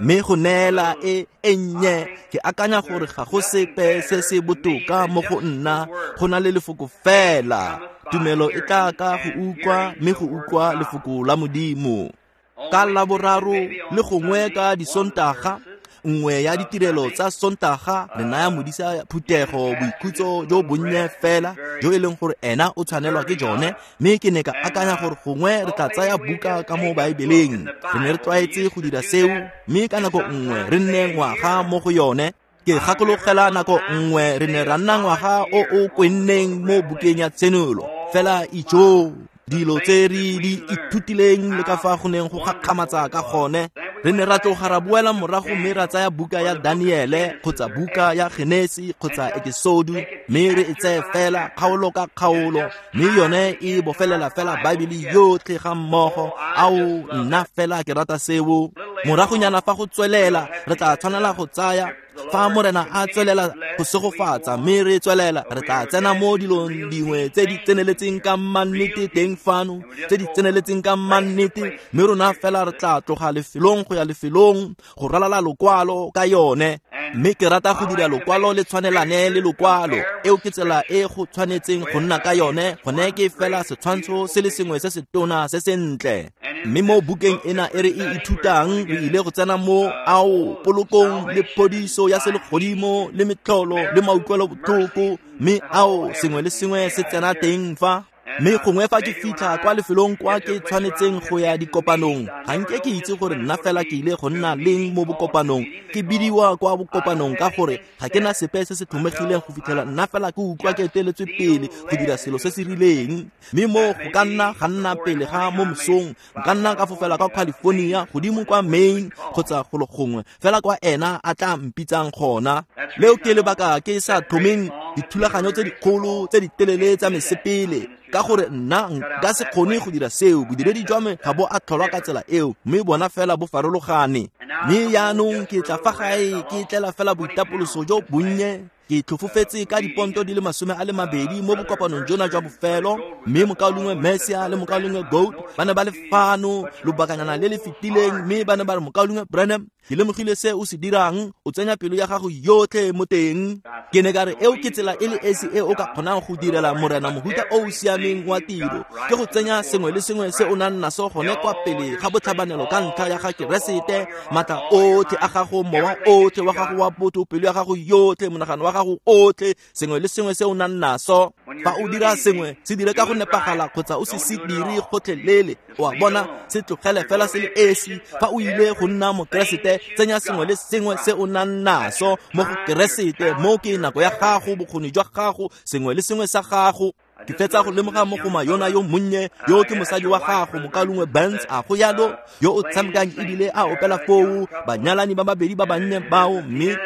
Mme go neela e e nnye, ke akanya gore ga go sepe se se botoka mo go nna go na le lefoko fela. Tumelo e tla ka go utlwa, mme go utlwa lefoko la Modimo. Ka Laboraro le gongwe ka Disontaga, nngwe ya ditirelo tsa Sontaga, re naya modisa phuthego boikhutso jo bonnye fela jo e leng gore ena o tshwanelwa ke jone. Mme ke ne ka akanya gore gongwe re tla tsaya buka ka mo Baebeleng. Re ne re tlwaetse go dira seo, mme ka nako nngwe re nne ngwaga mo go yone. Ke gakologela nako nngwe re ne ra nna ngwaga o o kwenneng mo bukeng ya Tshenolo. Fela ijoo, dilo tse re di ithutileng le ka fa go neng go gakgamatsa ka gone. Re ne ra tloga ra boela morago mme ra tsaya buka ya Daniele kgotsa buka ya Genesi kgotsa Ekisodu, mme re e tseye fela kgaolo ka kgaolo, mme yone e bofelela fela Baebele yotlhe ga mmogo. Ao, nna fela ke rata seo. Moragonyana fa go tswelela, re tla tshwanela go tsaya, fa Morena a tswelela go segofatsa mme re tswelela, re tla tsena mo dilong dingwe tse di tseneletseng ka mannete teng fano, tse di tseneletseng ka mannete, mme rona fela re tla tloga lefelong go ya lefelong go ralala lokwalo ka yone. Mme ke rata go dira lokwalo le tshwanelane le lokwalo. Eo ke tsela e go tshwanetseng go nna ka yone. Gone ke fela setshwantsho se le sengwe se se tona se sentle. Mme mo bukeng ena e re e ithutang, re ile go tsena mo ao polokong le phodiso ya selegodimo le metlholo le mautlwelo botlhoko, mme ao sengwe le sengwe se tsena teng fa. Mme gongwe fa ke fitlha kwa lefelong kwa ke tshwanetseng go ya dikopanong, ga nke ke itse gore nna fela ke ile go nna leng mo bokopanong. Ke bidiwa kwa bokopanong ka gore ga ke na sepe se se tlhomegileng go fitlhela nna fela ke utlwa ke eteletswe pele go dira selo se se rileng. Mme mo go ka nna ga nna pele ga mo mosong, nka nna ka fofela kwa California, godimo kwa Maine kgotsa golo gongwe fela kwa ena a tla mpitsang gona. Leo ke lebaka ke sa tlhomeng dithulaganyo tse dikgolo tse di telele tsa mesepele, ka gore nna nka se kgone go dira seo. Bodiredi jwa me ga bo a tlholwa ka tsela eo, mme bona fela bo farologane. Mme jaanong ke tla fa gae ke tlela fela boitapoloso jo bonnye. Ke tlhofofetse ka diponto di le 20 mo bokopanong jona jwa bofelo, mme mokaulengwe Mercier le mokaulengwe Goad ba ne ba le fano lobakanyana le le fetileng, mme ba ne ba re, mokaulengwe Branham, ke lemogile se o se dirang, o tsenya pelo ya gago yotlhe mo teng. Ke ne ka re, eo ke tsela e le esi e o ka kgonang go direla Morena mohuta o o siameng wa tiro, ke go tsenya sengwe le sengwe se o nang naso gone kwa pele ga botlhabanelo ka ntlha ya ga Keresete. Matla otlhe a gago, mowa otlhe wa gago wa botho, pelo ya gago yotlhe, monagano wa gago otlhe, sengwe le sengwe se o nang naso. Fa o dira sengwe, se dire ka go nepagala kgotsa o se se dire gotlhelele. O a bona, se tlogele fela se le esi. Fa o ile go nna Mokeresete, tsenya sengwe le sengwe se o nang naso mo go Keresete. Mo ke nako ya gago, bokgoni jwa gago, sengwe le sengwe sa gago. Ke fetsa go lemoga mogoma yona yo monnye yo ke mosadi wa gago, mokaulengwe Burns, a go yalo, yo o tshamekang ebile a opela foo, banyalani ba babedi ba bannye bao, mme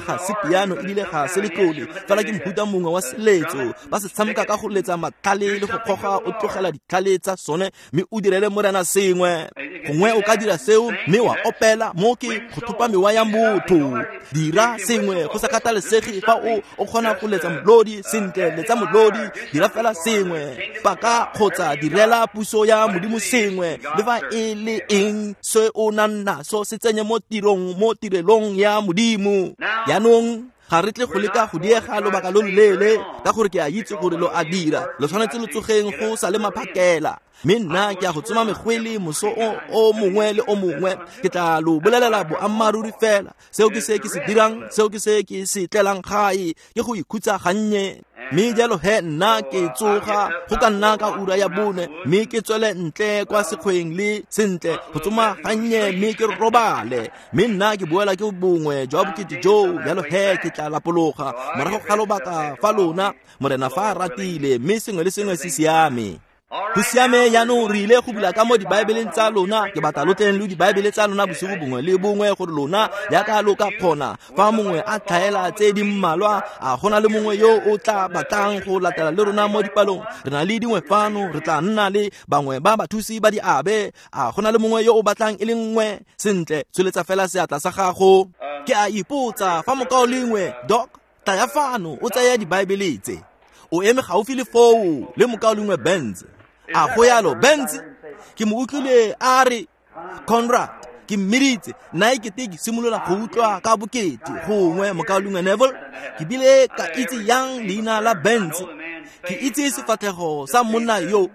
ga se piano ebile ga se letlole, fela ke mohuta mongwe wa seletso. Ba se tshameka ka go letsa matlhale le go kgoga o tlogela ditlhale tsa sone, mme o direle Morena sengwe. Gongwe o ka dira seo mme wa opela, mo ke go thopa mewa ya motho. Dira sengwe go sa kgathalesege fa o kgona go letsa molodi sentle, letsa molodi, dira fela sengwe, paka kgotsa direla puso ya Modimo sengwe, le fa e le eng se o nang naso, se tsenye mo tirong, mo tirelong ya Modimo. Jaanong ga re tle go leka go diega lobaka lo loleele, ka gore ke a itse gore lo a dira, lo tshwanetse lo tsogeng go sa le maphakela. Mme nna ke a go tsoma megwele moso o mongwe le o mongwe. Ke tla lo bolelela boammaaruri fela, seo ke se ke se dirang, seo ke se ke se tlelang gae, ke go ikhutsa gannye. Mme jalo he nna ke tsoga go ka nna ka ura ya 4, mme ke tswele ntle kwa sekgweng le sentle go tsoma gannye, mme ke robale. Mme nna ke boela ke bongwe jwa bokete joo, jalo he ke tla lapologa morago ga lobaka fa lona, Morena fa a ratile, mme sengwe le sengwe se siame. Go siame. Jaanong re ile go bula ka mo dibaebeleng tsa lona. Ke batla lo tleng le dibaebele tsa lona bosigo bongwe le bongwe, gore lona jaaka lo ka kgona fa mongwe a tlhaela tse di mmalwa, a gona le mongwe yo o tla batlang go latela le rona mo dipalong. Re na le dingwe fano, re tla nna le bangwe ba bathusi ba diabe. A gona le mongwe yo o batlang e le nngwe? Sentle, tsholetsa fela seatla sa gago. Ke a ipotsa fa mokaulengwe Doc, tlaya fano o tsaya dibaebele tse. O eme gaufi le foo le mokaulengwe Benz. A go yalo, Benz? Ke mo utlwile a re, Conrad, Ke mmiditse nna ekete ke simolola go utlwa ka bokete gongwe mokaulengwe Neville. Ke bile ka itse yang leina la Benz, ke itse sefatlhego sa monna yo,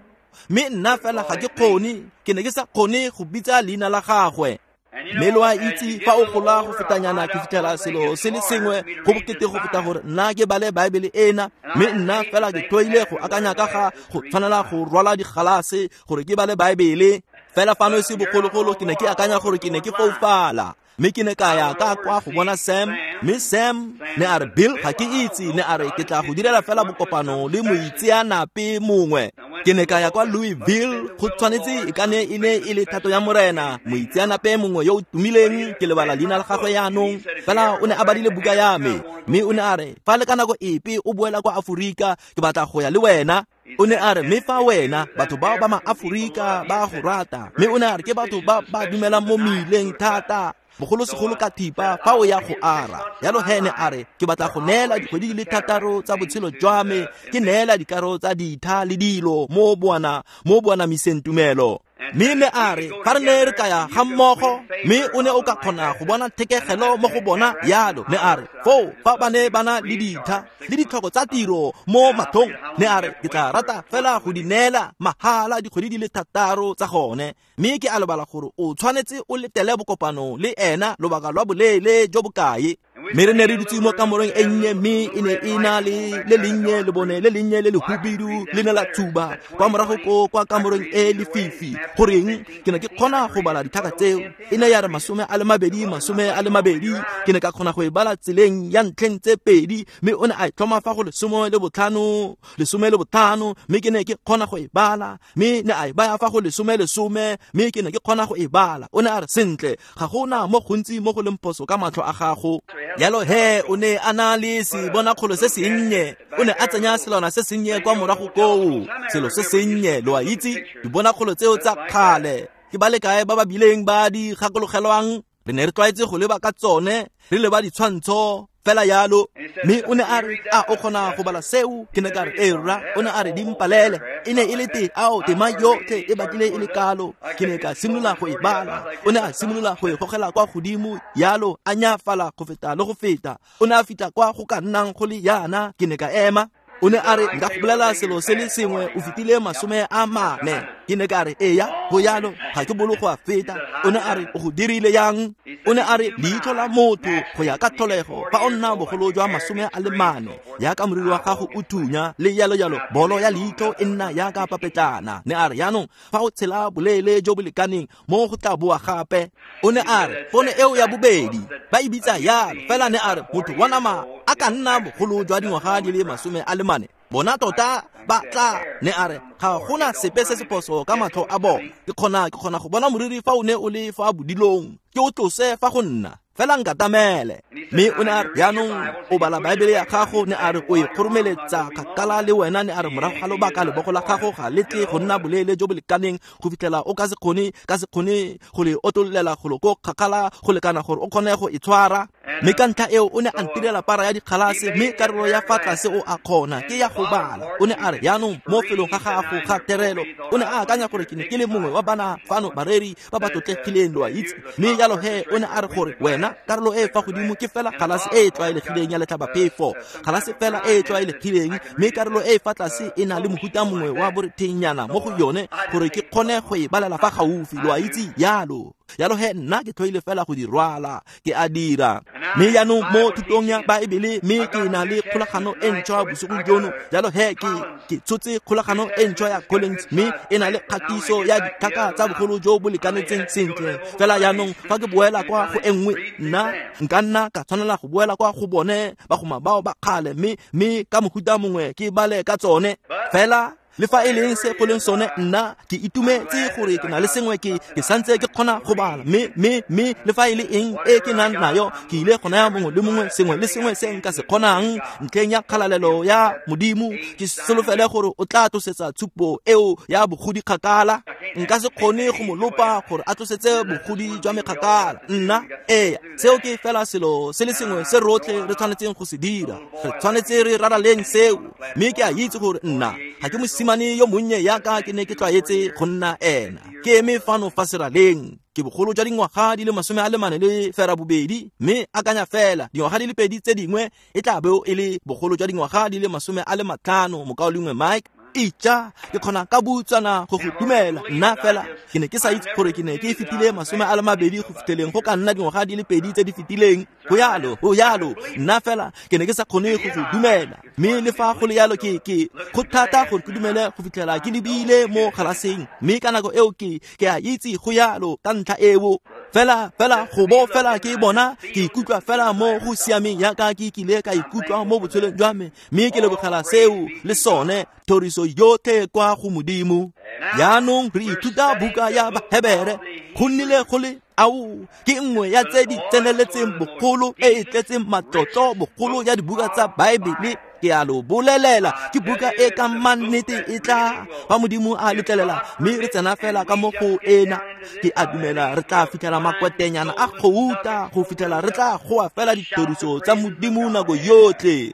mme nna fela ga ke kgone, ke ne ke sa kgone go bitsa leina la gagwe. Mme lo a itse fa o gola go fetanyana ke fitlhela selo se le sengwe go bokete go feta gore nna ke bale Baebele ena, mme nna fela ke tlhoile go akanya ka ga go tshwanela go rwala digalase gore ke bale Baebele. Fela fano se bogologolo ke ne ke akanya gore ke ne ke foufala, mme ke ne ka ya ka kwa go bona Sam, mme Sam ne a re, Bill, ga ke itse, ne a re ke tla go direla fela bokopano le moitseanape mongwe. Ke ne ka ya kwa Louisville, go tshwanetse e ka ne e ne e le thato ya Morena, moitseanape mongwe yo o tumileng, ke lebala leina la gagwe yaanong, fela o ne a badile buka ya me, mme o ne a re, fa le ka nako epe o boela kwa Aforika, ke batla go ya le wena. O ne a re, mme fa wena batho bao ba ma-Aforika ba go rata, mme o ne a re ke batho ba ba dumelang mo meileng thata, bogolosegolo ka thipa fa o ya go ara. Yalo he ne a re, ke batla go neela dikgwedi di le 6 tsa botshelo jwa me, ke neela dikaro tsa ditha le dilo mo boanamiseng tumelo. Mme ne a re, fa re ne re ka ya ga mmogo, mme o ne o ka kgona go bona thekegelo mo go bona yalo. Ne a re, foo fa ba ne ba na le ditha le ditlhoko tsa tiro mo mathong, ne a re ke tla rata fela go di neela mahala dikgwedi di le 6 tsa gone. Mme ke a lebala gore o tshwanetse o letele bokopano le ena lobaka lwa boleele jo bokae. Mme re ne re dutse mo kamoreng e nnye, mme e ne e na le le lennye lebone le lennye le lehubidu le ne la tshuba kwa morago ko kwa kamoreng e lefifi. Goreng ke ne ke kgona go bala ditlhaka tseo, e ne ya re 22 22, ke ne ka kgona go e bala tseleng ya ntlheng tse 2, mme o ne a e tlhoma fa go 15 15, mme ke ne ke kgona go e bala, mme ne a e baya fa go 10 10, mme ke ne ke kgona go e bala. O ne a re, sentle, ga gona mo gontsi mo go leng phoso ka matlho a gago. Yalo he o ne a na le sebonakgolo se sennye, o ne a tsenya selwana se sennye kwa morago koo, selo se sennye, lo a itse, dibonakgolo tseo tsa kgale. Ke ba le kae ba ba bileng ba di gakologelwang? Re ne re tlwaetse go leba ka tsone, re leba ditshwantsho fela yalo. Mme o ne a re, a o kgona go bala seo? Ke ne ka re, ee rra. O ne a re, dimpalele. E ne e le te ao tema yotlhe e batlile e le kalo. Ke ne ka simolola go e bala. O ne a simolola go e gogela kwa godimo yalo, a nyafala go feta le go feta. O ne a fitlha kwa go ka nnang go le yana, ke ne ka ema. O ne a re, nka go bolela selo se le sengwe, o fetile 40. Ke ne ka re, eya, go yalo, ga ke bolo go a feta. O ne a re, o go dirile yang? O ne a re, leitlho la motho go ya ka tlholego, fa o nna bogolo jwa 40, yaka moriri wa gago o thunya le yalo yalo, bolo ya leitlho e nna yaka papetlana. Ne a re, yaanong fa o tshela boleele jo bo lekaneng mo go tla boa gape. O ne a re, pono eo ya bobedi ba e bitsa yalo, fela ne a re, motho wa nama a ka nna bogolo jwa dingwaga di le 40, bona tota ba tla. Ne a re, ga gona sepe se se phoso ka matlho a bona. Ke kgona go bona moriri fa o ne o le fa bodilong, ke o tlose fa go nna, fela nkatamele. Mme o ne a re, yaanong o bala Baebele ya gago, ne a re o e kgoromeletsa kgakala le wena. Ne a re, morago ga lobaka lebogo la gago ga le tle go nna boleele jo bo lekaneng go fitlhela o ka se kgone go le otololela golo ko kgakala go lekana gore o kgone go e tshwara. Mme ka ntlha eo o ne a ntirela para ya dikgalase, mme karolo ya fa tlase o a kgona ke ya go bala. O ne a re, yaanong mo felong ga gago ga terelo, o ne a akanya gore ke ne ke le mongwe wa bana fano bareri ba ba tlotlegileng, lo a itse. Mme jalo he o ne a re gore wena karolo e fa godimo ke fela galase e e tlwaelegileng ya letlhabaphefo, galase fela e e tlwaelegileng, mme karolo e fa tlase e na le mohuta mongwe wa borethenyana mo go yone gore ke kgone go e balela fa gaufi, lo a itse yalo. Yalo he nna ke tlhoile fela go di rwala, ke a dira. Mme jaanong mo thutong ya Baebele, mme ke na le kgolagano e ntšhwa bosigong jono. Jalo he ke tshotse kgolagano e ntšhwa ya Collins, mme e na le kgatiso ya ditlhaka tsa bogolo jo bo lekanetseng sentle. Fela jaanong fa ke boela kwa go e nngwe, nna nka nna ka tshwanela go boela kwa go bone bagoma bao ba kgale, mme ka mohuta mongwe ke bale ka tsone. Fela le fa e leng se go leng sone, nna ke itumetse gore ke na le sengwe, ke santse ke kgona go bala. Mme le fa e le eng e ke nang nayo, ke ile go naya mongwe le mongwe sengwe le sengwe se nka se kgonang ntlheng ya kgalalelo ya Modimo. Ke solofele gore o tla tlosetsa tshupo eo ya bogodi kgakala. Nka se kgone go mo lopa gore a tlosetse bogodi jwa me kgakala. Nna ee, seo ke fela selo se le sengwe se rotlhe re tshwanetseng go se dira. Re tshwanetse re raraleng seo. Mme ke a itse gore nna ga ke mosimane Mosimane yo monnye yaka ke ne ke tlwaetse go nna ena. Ke eme fano fa seraleng. Ke bogolo jwa dingwaga di le 48, mme akanya fela dingwaga di le 2 tse dingwe e tla bo e le bogolo jwa dingwaga di le 50, mokaulengwe Mike. Itja, ke kgona ka butswana go go dumela. Nna fela ke ne ke sa itse gore ke ne ke fetile 20 go fitlheleng go ka nna dingwaga di le 2 tse di fetileng. Go yalo, nna fela ke ne ke sa kgone go go dumela. Mme le fa go le yalo ke go thata gore ke dumele go fitlhela ke lebile mo galaseng. Mme ka nako eo ke a itse go yalo ka ntlha eo. Fela go bo fela ke bona ke ikutlwa fela mo go siameng yaka ke kile ka ikutlwa mo botshelong jwa me. Mme ke lebogela seo le sone thoriso yotlhe kwa go Modimo. Jaanong re ithuta buka ya Bahebere. Go nnile go le ao ke nngwe ya tse di tseneletseng bogolo e e tletseng matlotlo bogolo ya dibuka tsa Baebele. Ke a lo bolelela, ke buka e ka mannete e tla fa Modimo a letlelela, mme re tsena fela ka mo go ena. Ke a dumela re tla fitlhela makwetenyana a gouta go fitlhela re tla goa fela dithoriso tsa Modimo nako yotlhe.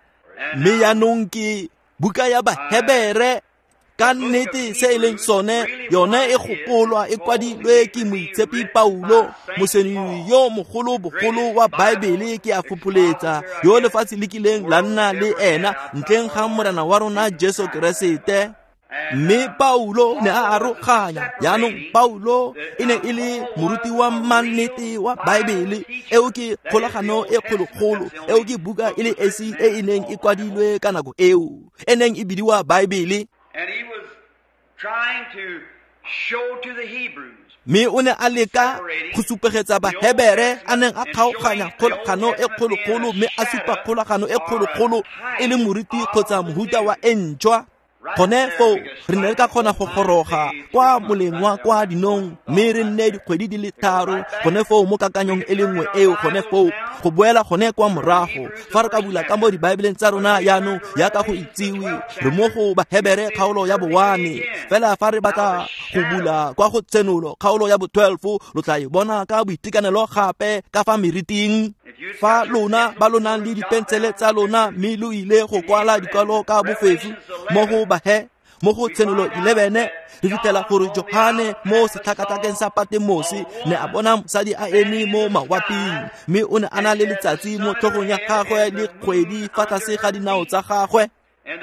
Mme jaanong ke buka ya Bahebere. Ka nnete se e leng sone, yone e gopolwa e kwadilwe ke moitshepi Paulo, mosenyi yo mogolo bogolo wa Baebele, ke a fopholetsa, yo lefatshe le kileng la nna le ena ntleng ga Morena wa rona Jesu Keresete. Mme Paulo ne a aroganya. Jaanong Paulo e ne e le moruti wa mannete wa Baebele. Eo ke kgolagano e kgologolo, eo ke buka e le esi e e neng e kwadilwe ka nako eo, e neng e bidiwa Baebele. And he was trying to show to the Hebrews. Mme o ne a leka go supegetsa Bahebere a neng a kgaoganya kgolagano e kgologolo, mme a supa kgolagano e kgologolo e le moriti kgotsa mohuta wa e ntšhwa. Gone foo re ne re ka kgona go goroga kwa moleng wa kwa dinong, mme re nne dikgwedi di le 3 gone foo mo kakanyong e le nngwe eo. Gone foo go boela gone kwa morago fa re ka bula ka mo dibaebeleng tsa rona jaanong yaka go itsiwe, re mo go Bahebere kgaolo ya bo-1. Fela fa re batla go bula kwa go Tshenolo kgaolo ya bo-12, lo tla e bona ka boitekanelo gape ka fa meriting. Fa lona ba lo nang le dipensele tsa lona mme lo ile go kwala dikwalo ka bofefu mo go mo go Tshenolo 11, re fitlhela gore Johane mo setlhakatlhakeng sa Patemose ne a bona mosadi a eme mo mawaping, mme o ne a na le letsatsi mo tlhogong ya gagwe le kgwedi fa tlase ga dinao tsa gagwe.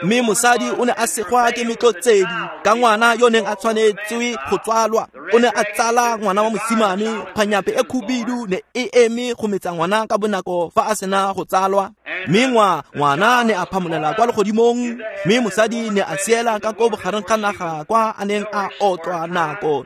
Mme mosadi o ne a segwa ke metlotsedi ka ngwana yo neng a tshwanetswe go tswalwa. O ne a tsala ngwana wa mosimane. Kgwanyape e khubidu ne e eme go metsa ngwana ka bonako fa a sena go tsalwa. Mme ngwana ne a phamolela kwa legodimong, mme mosadi ne a siela ka ko bogareng ga naga kwa a neng a otlwa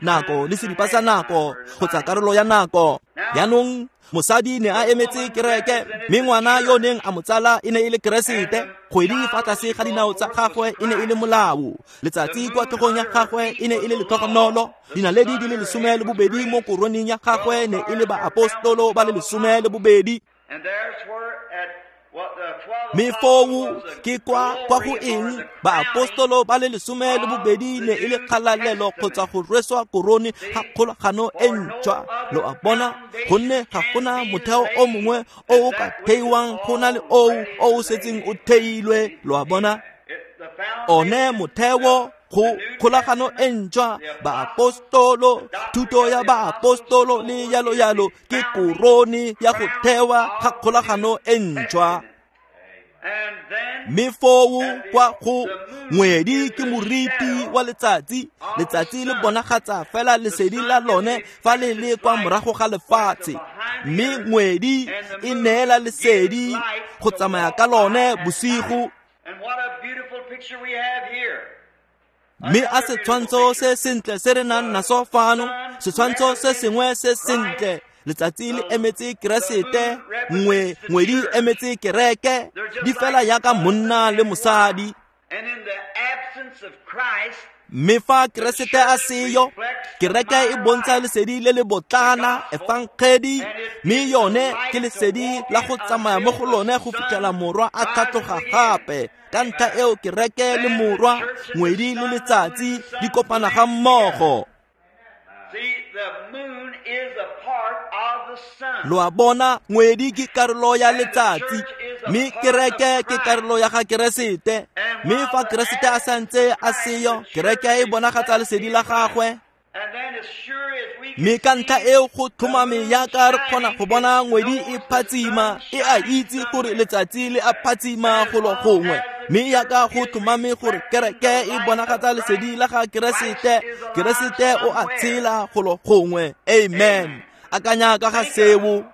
nako le seripa sa nako kgotsa karolo ya nako. Jaanong mosadi ne a emetse kereke, mme ngwana yo neng a mo tsala e ne e le Keresete. Kgwedi fa tlase ga dinao tsa gagwe e ne e le molao, letsatsi kwa tlhogong ya gagwe e ne e le letlhogonolo, dinaledi di le 12 mo koroneng ya gagwe ne e le baapostolo ba le 12. Mme foo ke kwa go eng baapostolo ba le 12 ne e le kgalalelo kgotsa go rweswa korone ga kgolagano e ntšhwa. Lo a bona, gonne ga gona motheo o mongwe o o ka theiwang go na le oo o o setseng o theilwe. Lo a bona, one motheo go kgolagano e ntšhwa, baapostolo, thuto ya baapostolo le yalo yalo ke korone ya go thewa ga kgolagano e ntšhwa. Mme foo kwa go ngwedi ke moriti wa letsatsi. Letsatsi le bonagatsa fela lesedi la lone fa le le kwa morago ga lefatshe, mme ngwedi e neela lesedi go tsamaya ka lone bosigo. Mme a setshwantsho se sentle se re nang naso fano, setshwantsho se sengwe se sentle. Letsatsi le emetse Keresete, ngwedi emetse kereke, di fela yaka monna le mosadi. Mme fa Keresete a seyo, kereke e bontsha lesedi le le botlana, efangedi, mme yone ke lesedi la go tsamaya mo go lone go fitlhela morwa a tlhatloga gape. Ka ntlha eo kereke le morwa, ngwedi le letsatsi di kopana ga mmogo. Lo a bona, ngwedi ke karolo ya letsatsi, Mme kereke ke karolo ya ga Keresete. Mme fa Keresete a santse a seyo, kereke e bonagatsa lesedi la gagwe. Mme ka ntlha eo go tlhomame yaka re kgona go bona ngwedi e phatsima, e a itse gore letsatsi le a phatsima golo gongwe. Mme yaka go tlhomame gore kereke e bonagatsa lesedi la ga Keresete, Keresete o a tshela golo gongwe. Amen. Akanya ka ga seo.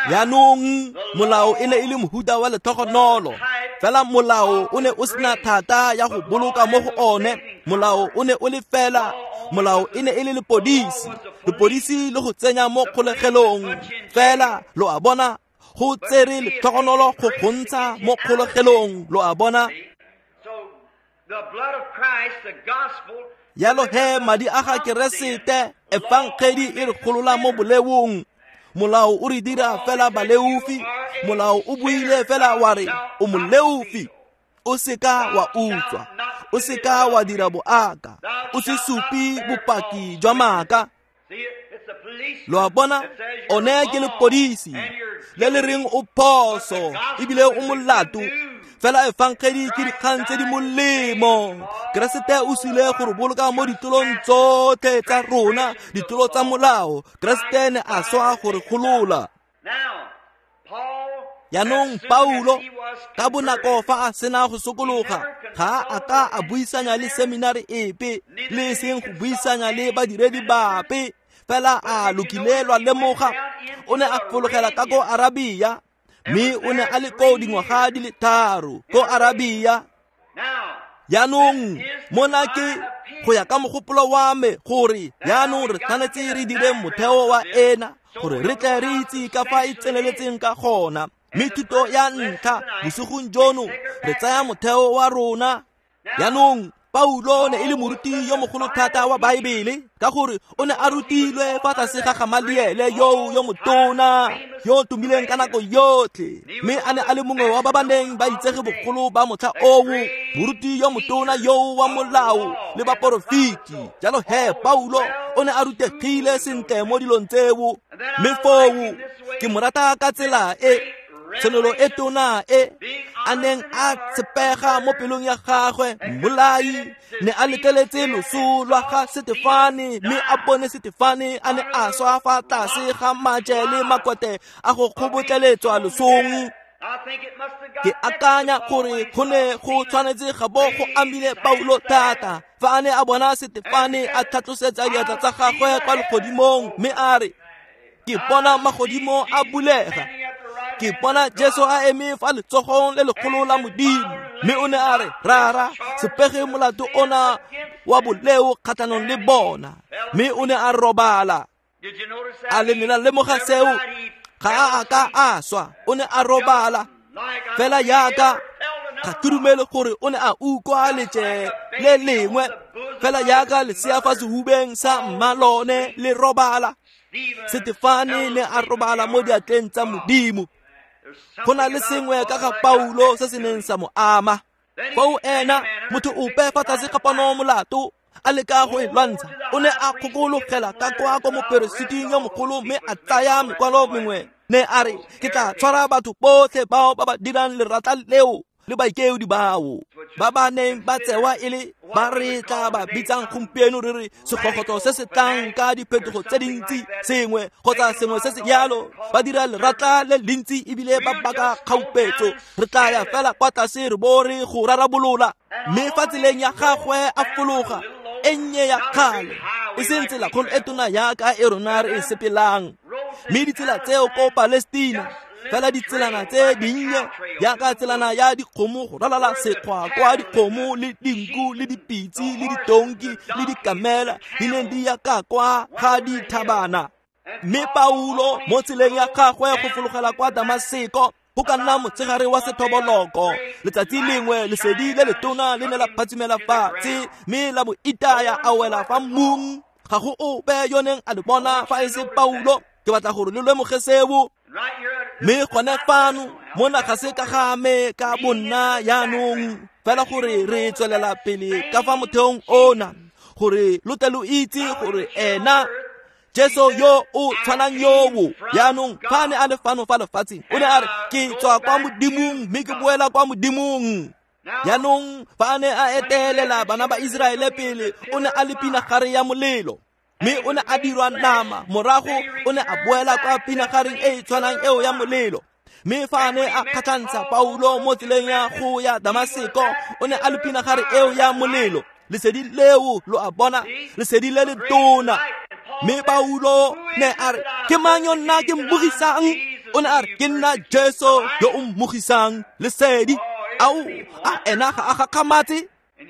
Jaanong molao e ne e le mohuta wa letlhogonolo, fela molao o ne o sena thata ya go boloka mo go one. Molao o ne o le fela, molao e ne e le lepodisi, lepodisi le go tsenya mo kgolegelong. Fela lo a bona, go tsere letlhogonolo go gontsha mo kgolegelong, lo a bona. Yalo he madi a ga Keresete, efangedi e re golola mo boleong. Molao o re dira fela baleofi. Molao o buile fela wa re o moleofi. O seka wa utswa, o seka wa dira boaka, o se supe bopaki jwa maaka. Lo a bona, one ke lepodisi le le reng o phoso ebile o molato. Fela efangedi ke dikgang tse di molemo. Keresete o sile go re boloka mo ditulong tsotlhe tsa rona, ditulo tsa molao. Keresete ne a swa go re golola. Jaanong Paulo ka bonako fa a sena go sokologa, ga a ka a buisanya le seminari epe, le seng go buisanya le badiredi bape. Fela a lokile lwa lemoga, o ne a fologela ka ko Arabia. Mme o ne a le ko dingwaga di le 3 ko Arabia. Jaanong mona ke go ya ka mogopolo wa me gore jaanong re tshwanetse re dire motheo wa ena gore re tle re itse ka fa e tseneletseng ka gona. Mme thuto ya ntlha bosigong jono re tsaya motheo wa rona. Jaanong Paulo ne e le moruti yo mogolo thata wa Baebele, ka gore o ne a rutilwe fa tlase ga Gamaliele yo motona yo tumileng ka nako yotlhe, mme a ne a le mongwe wa ba ba neng ba itsege bogolo ba motlha oo, moruti yo motona yo wa molao le baporofeti. Jalo he Paulo o ne a rutegile sentle mo dilong tseo. Mme foo ke mo rata ka tsela e tshenolo e tona e a neng a tshepega mo pelong ya gagwe. Mmolai ne a letleletse loso lwa ga Setefane, mme a bone Setefane a ne a swa fa tlase ga maje le makote a go kgobotleletswa losong. Ke akanya gore go ne go tshwanetse ga bo go amile Paulo thata fa a ne a bona Setefane a tlhatlosetsa diatla tsa gagwe kwa legodimong, mme a re, ke bona magodimo a bulega, ke bona Jesu a eme fa letsogong le legolo la Modimo. Mme o ne a re, Rara, se pege molato ona wa boleo kgatlhanong le bona. Mme o ne a robala. A le ne la lemoga seo? Ga a ka a swa, o ne a robala. Fela yaka ga ke dumele gore o ne a utlwa letse le lengwe, fela yaka lesea fa sehubeng sa mmalone le robala. Setefane ne a robala mo diatleng tsa Modimo. Go na le sengwe ka ga Paulo se se neng sa mo ama. Foo ena motho ope fa tlase ga pono molato a leka go e lwantsha, o ne a kgokologela ka kwa ko moperesiting yo mogolo mme a tsaya mekwalo mengwe. Ne a re, ke tla tshwara batho botlhe bao ba ba dirang lerata leo le baikeodi bao ba ba neng ba tsewa e le ba re tla ba bitsang gompieno re re segogotlo se se tlang ka diphetogo tse dintsi, sengwe kgotsa sengwe se se yalo. Ba dira leratla le lentsi ebile ba baka kgaupetso. Re tla ya fela kwa tlase re bo re go rarabolola. Mme fa tseleng ya gagwe a fologa e nnye ya kgale, e seng tsela kgolo e tona yaka e rona re e sepelang, mme ditsela tseo ko Palestina, fela ditselana tse dinnye yaka tselana ya dikgomo go ralala sekgwa kwa dikgomo le dinku le dipitse le ditonki le dikamela di neng di ya ka kwa ga dithabana. Mme Paulo mo tseleng ya gagwe go fologela kwa Damaseko, go ka nna motshegare wa sethoboloko, letsatsi lengwe lesedi le letona le ne la phatsimela fatshe mme la mo itaya a wela fa mmung. Ga go ope yo neng a le bona fa e se Paulo. Ke batla gore le lemoge seo. Mme gone fano mona ga se ka ga me ka bonna jaanong, fela gore re tswelela pele ka fa motheong ona, gore lo tle lo itse gore ena Jesu yo o tshwanang yoo jaanong fa ne a le fano fa lefatsheng o ne a re ke tswa kwa modimong mme ke boela kwa modimong. Jaanong fa ne a etelela bana ba Iseraele pele o ne a le pinagare ya molelo mme o ne a dirwa nama, morago o ne a boela kwa pinagareng e e tshwanang eo ya molelo. Mme fa ne a kgatlhantsha Paulo mo tseleng ya go ya Damaseko o ne a le pinagare eo ya molelo, lesedi leo lo a bona, lesedi le le tona. Mme Paulo ne a re ke mang yo nna ke mmogisang? O ne a re ke nna Jesu yo o mmogisang, lesedi. Ao, a ena ga a gakgamatse?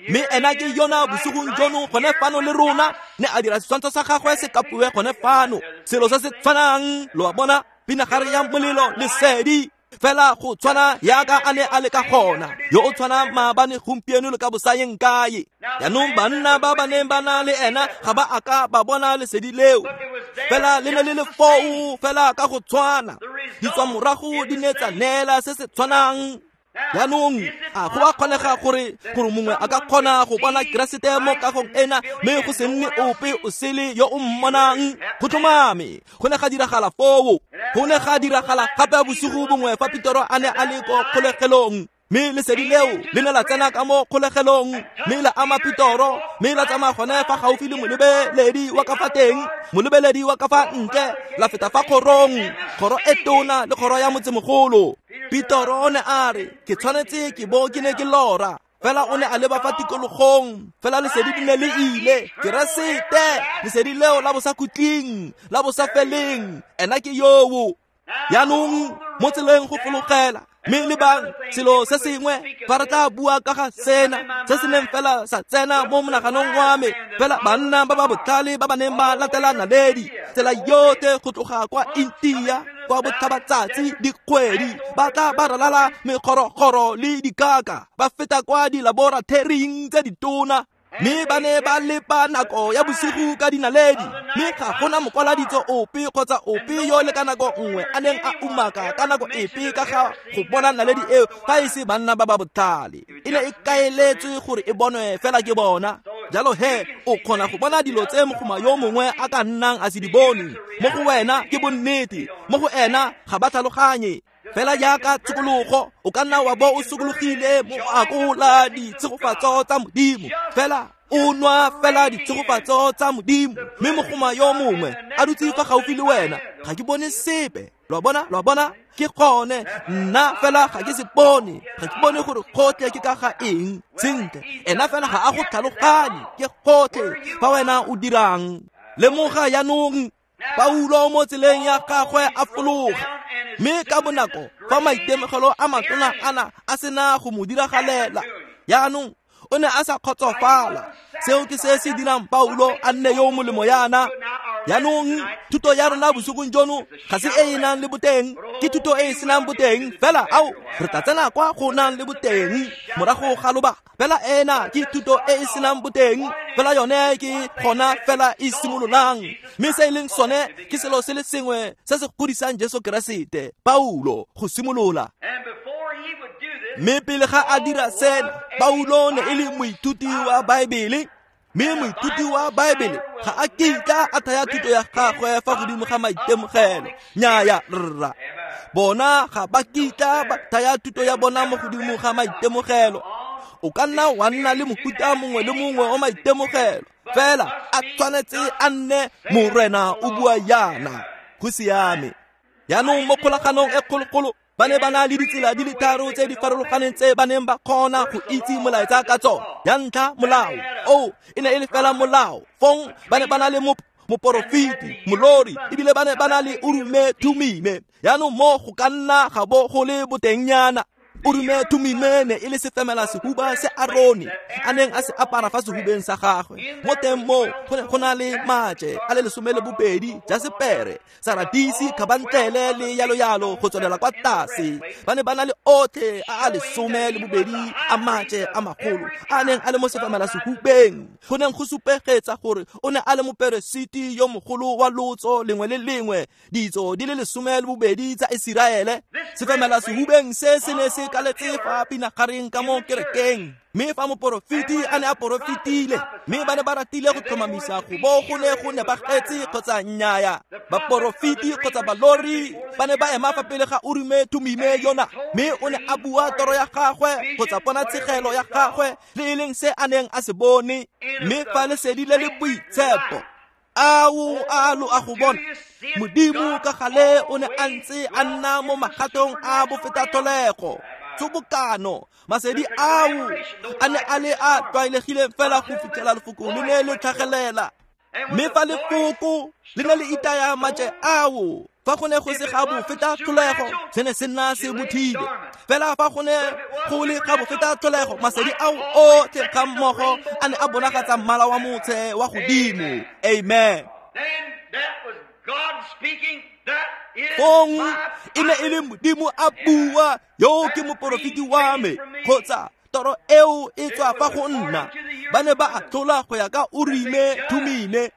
Mme ena ke yona bosigong jono gone fano le rona, ne a dira setshwantsho sa gagwe se kapiwe gone fano, selo se se tshwanang, lo a bona, pinagare ya molelo, lesedi fela go tshwana yaka a ne a le ka gona, yo o tshwana maabane, gompieno le ka bosayeng kae. Jaanong banna ba ba neng ba na le ena ga ba a ka ba bona lesedi leo, fela le ne le le foo fela ka go tshwana, ditswamorago di ne tsa neela se se tshwanang. Jaanong a go a kgonega gore mongwe a ka kgona go bona Keresete mo kagong ena mme go se nne ope o sele yo o mmonang? Go tlhomame go ne ga diragala foo. Go ne ga diragala gape bosigo bongwe fa Petero a ne a le ko kgolegelong, mme lesedi leo le ne la tsena ka mo kgolegelong mme la ama Petero, mme la tsamaya gone fa gaufi le molebeledi wa ka fa teng, molebeledi wa ka fa ntle, la feta fa kgorong, kgoro e tona le kgoro ya motsemogolo. Petero o ne a re ke tshwanetse ke bo ke ne ke lora, fela o ne a leba fa tikologong, fela lesedi di ne le ile. Keresete, lesedi leo la bosakhutleng, la bosafeleng, ena ke yoo. Jaanong mo tseleng go fologela, mme lebang selo se sengwe fa re tla bua ka ga sena se se neng fela sa tsena mo monaganong wa me, fela banna ba ba botlhale ba ba neng ba latela naledi tsela yotlhe go tloga kwa India kwa botlhabatsatsi dikgwedi, ba tla ba ralala mekgorokgoro le dikaka, ba feta kwa dilaboratoring tse ditona, mme ba ne ba lepa nako ya bosigo ka dinaledi, mme ga gona mokwaladitso ope kgotsa ope yo le ka nako nngwe a neng a umaka ka nako epe ka ga go bona naledi eo fa e se banna ba ba botlhale. E ne e kaeletswe gore e bonwe fela ke bona. Jalo he o kgona go bona dilo tse mogoma yo mongwe a ka nnang a se di bone. Mo go wena ke bonnete, mo go ena ga ba tlhaloganye. Fela jaaka tshokologo, o ka nna wa bo o sokologile mo akola ditshegofatso tsa modimo, fela o nwa fela ditshegofatso tsa modimo, mme mogoma yo mongwe a dutse fa gaufi le wena, ga ke bone sepe. Lo a bona, ke gone nna fela ga ke se bone, ga ke bone gore gotlhe ke ka ga eng. Sentle, ena fela ga a go tlhaloganye, ke gotlhe fa wena o dirang. Lemoga jaanong Paulo mo tseleng ya gagwe a fologa, mme ka bonako fa maitemogelo a matona ana a sena go mo diragalela, jaanong o ne a sa kgotsofala. Seo ke se se dirang Paulo a nne yo molemo yana. Jaanong thuto ya rona bosigong jono ga se e e nang le boteng, ke thuto e e senang boteng, fela ao re tla tsena kwa go nang le boteng morago ga lobaka. Fela ena ke thuto e e senang boteng, fela yone ke gona fela e simololang, mme se e leng sone ke selo se le sengwe se se godisang Jesu Keresete. Paulo go simolola. Mme pele ga a dira sena, Paulo ne e le moithuti wa Baebele, mme moithuti wa Baebele ga a kitla a thaya thuto ya gagwe fa godimo ga maitemogelo. Nnyaya rra, bona ga ba kitla ba thaya thuto ya bona mo godimo ga maitemogelo. O ka nna wa nna le mofuta mongwe le mongwe wa maitemogelo, fela a tshwanetse a nne Morena o bua yana. Go siame. Jaanong mo kgolaganong e kgologolo ba ne ba na le ditsela di le tharo tse di farologaneng tse ba neng ba kgona go itse molaetsa ka tsona. Ya ntlha, molao. O e ne e le fela molao. Fong ba ne ba na le moporofeti, molori, ebile ba ne ba na le Urume Thumime. Jaanong mo go ka nna ga bo go le botengnyana. Urume Thumime ne e le sefemela sehuba se Arone a neng a se apara fa sehubeng sa gagwe. Mo teng moo go ne go na le maje a le 12, jasepere, saradisi, khabantlele le yalo yalo go tswelela kwa tlase. Ba ne ba na le otlhe a a 12 a maje a magolo a neng a le mo sefemela sehubeng. Go neng go supegetsa gore o ne a le moperesiti yo mogolo wa lotso lengwe le lengwe, ditso di le 12 tsa Iseraele. Sefemela sehubeng se se ne se kaletse fa pinagareng ka mo kerekeng, mme fa moporofeti a ne a porofetile, mme ba ne ba ratile go tlhomamisa go bo go ne go nepagetse kgotsa nnyaya, baporofeti kgotsa balori ba ne ba ema fa pele ga Urime Thumime yona, mme o ne a bua toro ya gagwe kgotsa ponatshegelo ya gagwe le e leng se a neng a se bone. Mme fa lesedi le le boitshepo ao a lo a go bona, Modimo ka gale o ne a ntse a nna mo magatong a bofetatholego tshobokano. Masedi ao a ne a le a tlwaelegileng fela go fitlhela lefoko le ne le tlhagelela, mme fa lefoko le ne le itaya maje ao, fa go ne go se ga bofetatholego se ne se nna se bothile. Fela fa go ne go le ga bofetatholego, masedi ao otlhe ga mmogo a ne a bonagatsa mmala wa motshe wa godimo. Amen. Fong e ne e le Modimo a bua, yo ke moporofeti wa me, kgotsa toro eo e tswa fa go nna. Ba ne ba atlhola go ya ka Urime Thumime.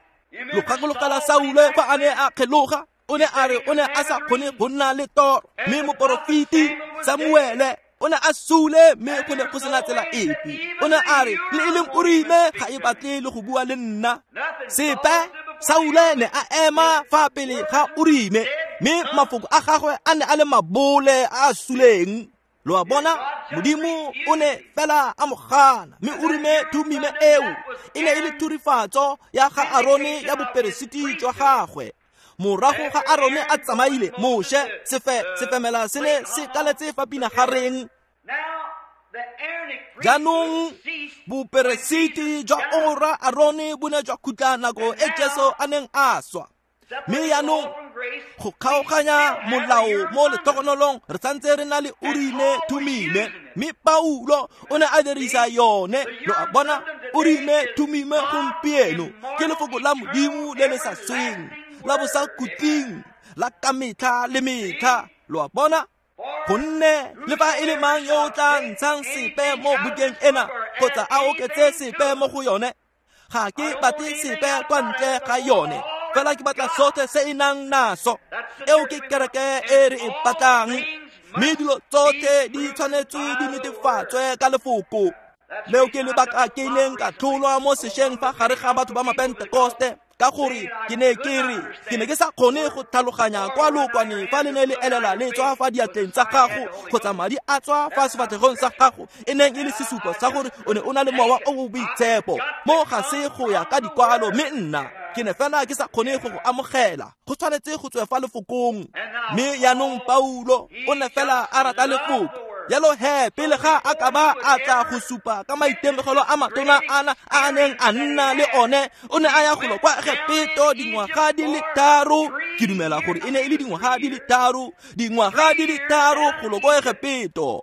Lo gakologela Saule fa a ne a kgeloga, o ne a re o ne a sa kgone go nna le toro, mme moporofeti Samuele o ne a sule, mme go ne go sena tsela epe. O ne a re le e leng Urime ga e batle le go bua le nna sepe. Saule ne a ema fa pele ga Urime, mme mafoko a gagwe a ne a le mabole a a suleng. Lo a bona, Modimo o ne fela a mo gana, mme Urime Thumime eo e ne e le thurifatso ya ga Arone ya boperesiti jwa gagwe. Morago ga Arone a tsamaile, Moshe sefemela se ne se kaletse fa pinagareng. Jaanong boperesiti jwa ora Arone bo ne jwa khutla nako e Jesu a neng a swa. Mme jaanong go kgaoganya molao mo letlhogonolong re santse re na le Urime Thumime, mme Paulo o ne a dirisa yone. Lo a bona, Urime Thumime gompieno ke lefoko la Modimo le le sa sweng, la bosakhutleng, la ka metlha le metlha. Lo a bona, gonne le fa e le mang yo o tla ntshang sepe mo bukeng ena kgotsa a oketse sepe mo go yone, ga ke batle sepe kwa ntle ga yone, fela ke batla sotlhe se e nang naso. Eo ke kereke e re e batlang, mme dilo tsotlhe di tshwanetswe di netefatswe ka lefoko. Leo ke lebaka ke ileng ka tlholwa mo sešweng fa gare ga batho ba Mapentekoste, ka gore ke ne ke re ke ne ke sa kgone go tlhaloganya kwa lookwane fa le ne le elela le tswa fa diatleng tsa gago kgotsa madi a tswa fa sefatlhegong sa gago, e neng e le sesupo sa gore o ne o na le mowa o o boitshepo. Mo ga se go ya ka dikwalo, mme nna ke ne fela ke sa kgone go go amogela. Go tshwanetse go tswe fa lefokong. Mme jaanong Paulo o ne fela a rata lefoko. Jalo he pele ga a ka ba a tla go supa ka maitemogelo a matona ana a neng a nna le one, o ne a ya golo kwa Egepeto dingwaga di le 3. Ke dumela gore e ne e le dingwaga di le 3, dingwaga di le 3 golo kwa Egepeto.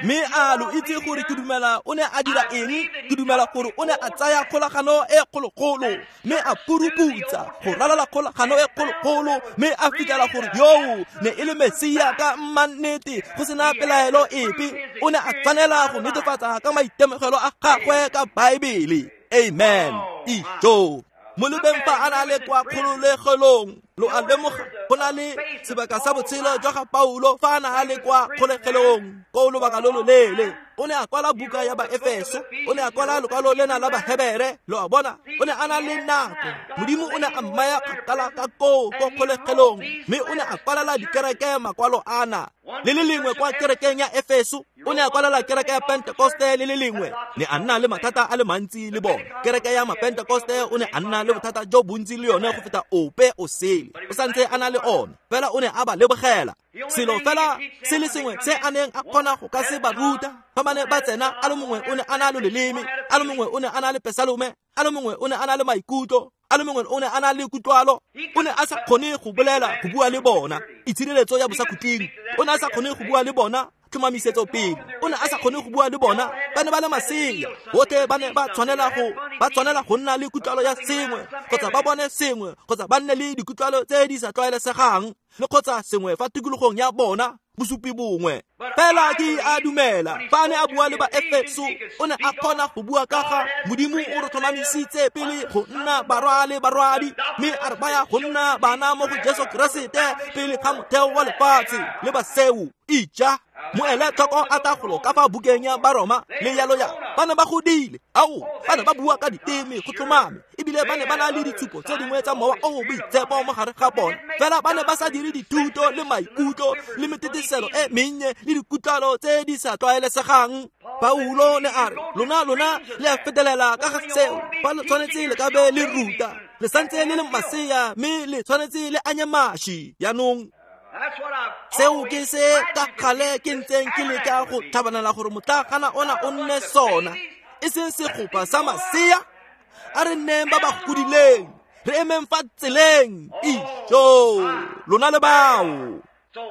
Mme a lo itse gore ke dumela o ne a dira eng? Ke dumela gore o ne a tsaya kgolagano e kgologolo, mme a puruputsa go ralala kgolagano e kgologolo, mme a fitlhela gore yoo ne e le Mesia ka mmannete, go sena pelaelo epe. O ne a tshwanela go netefatsa ka maitemogelo a gagwe ka Baebele. Amen. Ijo mo lebeng fa a na le kwa kgololegelong. Lo a lemoga go na le sebaka sa botshelo jwa ga Paulo fa a na a le kwa kgolegelong ko lobaka lo loleele. O ne a kwala buka ya Baefeso, o ne a kwala lokwalo lena la Bahebere. Lo a bona, o ne a na le nako. Modimo o ne a mmaya kgakala ka koo ko kgolegelong, mme o ne a kwalela dikereke makwalo ana. Le le lengwe kwa kerekeng ya Efeso, o ne a kwalela kereke ya Pentekoste le le lengwe. Ne a nna le mathata a le mantsi le bone. Kereke ya Mapentekoste o ne a nna le bothata jo bontsi le yone go feta ope o sele. O santse a na le one, fela o ne a ba lebogela. Selo fela se le sengwe se a neng a kgona go ka se ba ruta, fa ba ne ba tsena, a le mongwe o ne a na le leleme, a le mongwe o ne a na le pesalome, a le mongwe o ne a na le maikutlo, a le mongwe o ne a na le kutlwalo. O ne a sa kgone go bolela go bua le bona itshireletso ya bosakhutleng. O ne a sa kgone go bua le bona tlhomamisetso pele. O ne a sa kgone go bua le bona, ba ne ba le masea. Botlhe ba ne ba tshwanela go nna le kutlwalo ya sengwe, kgotsa ba bone sengwe, kgotsa ba nne le dikutlwalo tse di sa tlwaelesegang, le kgotsa sengwe fa tikologong ya bona, bosupi bongwe. Fela ke a dumela fa a ne a bua le Baefeso, o ne a kgona go bua ka ga Modimo o re tlhomamisitse pele go nna barwa le barwadi, mme a re baya go nna bana mo go Jesu Keresete pele ga motheo wa lefatshe le baseu. Ija. Moele tlhoko a tla golo ka fa bukeng ya Baroma le yalo ya ba ne ba godile ao ba ne ba bua ka diteme go tlhomame ebile ba ne ba na le ditshupo tse dingwe tsa mowa o o boitshepo mo gare ga bona fela ba ne ba sa dire dithuto le maikutlo le meteteselo e mennye le dikutlwalo tse di sa tlwaelesegang. Paulo ne a re lona le a fetelela ka ga seo fa le tshwanetse le ka be le ruta le santse le le masea mme le tshwanetse le anye maši. Jaanong seo ke se ka kgale ke ntseng ke leka go tlhabanela gore motlakgana ona o nne sona e seng segopa sa masea. A re nneng ba ba godileng re emeng fa tseleng ijo lona le bao.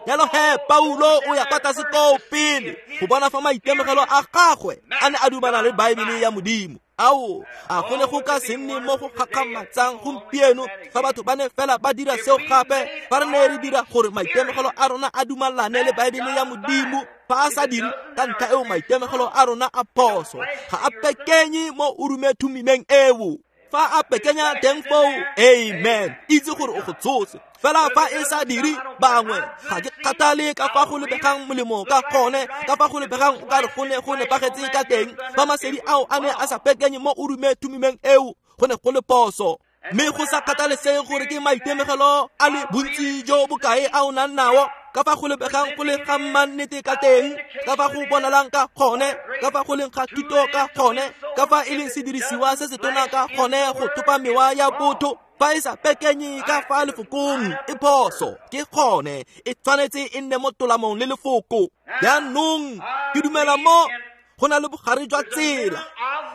Jalo he Paulo o ya kwa tlase koo pele go bona fa maitemogelo a gagwe a ne a dumana le Baebele ya Modimo. Ao a go ne go ka se nne mo go gakgamatsang gompieno fa batho ba ne fela ba dira seo gape fa re ne re dira gore maitemogelo a rona a dumalane le Baebele ya Modimo. Fa a sa dire ka ntlha eo maitemogelo a rona a phoso ga a pekenye mo o rumethumimeng eo. Fa a pekenya teng foo, amen, itse gore o go tshotse. Fela fa e sa dire bangwe ga ke kgathale ka fa go lebegang molemo ka gone ka fa go lebegang o ka re go ne go nepagetse ka teng fa masedi ao a ne a sa pekenye mo o rumethumimeng eo go ne go le phoso. Mme go sa kgathalesege gore ke maitemogelo a le bontsi jo bokae a o nang nao ka fa go lebegang go le ga mannete ka teng ka fa go bonalang ka gone ka fa go leng ga thuto ka gone ka fa e leng sedirisiwa se se tona ka gone go thopa mewa ya botho fa e sa pekenye ka fa lefokong e phoso ke gone e tshwanetse e nne mo tolamong le lefoko. Jaanong ke dumela mo go na le bogare jwa tsela.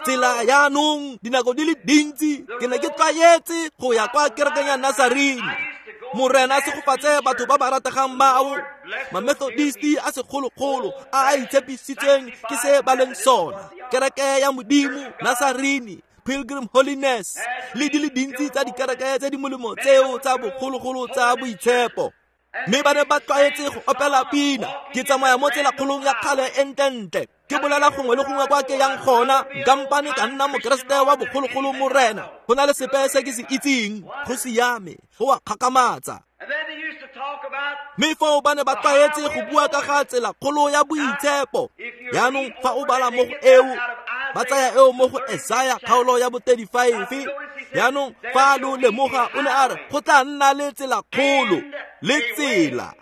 Tsela jaanong dinako di le dintsi ke ne ke tlwaetse go ya kwa kerekeng ya Nazarene. Morena a segofatse batho ba ba rategang bao Mamethodisti a segologolo a a itshepisitseng ke se ba leng sona kereke ya Modimo Nazarene Pilgrim Holiness le di le dintsi tsa dikereke tse di molemo tseo tsa bogologolo tsa boitshepo. Mme ba ne ba tlwaetse go opela pina ke tsamaya mo tselakgolong ya kgale e ntlentle ke bolela gongwe le gongwe kwa ke yang gona kampane ka nna mokeresete wa bogologolo morena go na le sepe se ke se itseng go siame go a kgakamatsa. Mme foo ba ne ba tlwaetse go bua ka ga tselakgolo ya boitshepo. Jaanong fa o bala mo go eo ba tsaya eo mo go Esaya kgaolo ya bo 35. Jaanong fa lo lemoga o ne a re go tla nna le tselakgolo le tsela.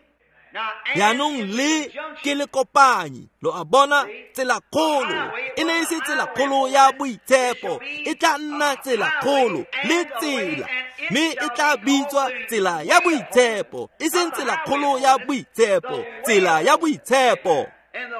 Jaanong le ke le kopanyi lo a bona tselakgolo e ne e se tselakgolo ya boitshepo e tla nna tselakgolo le tsela mme e tla bitswa tsela ya boitshepo e seng tselakgolo ya boitshepo tsela ya boitshepo.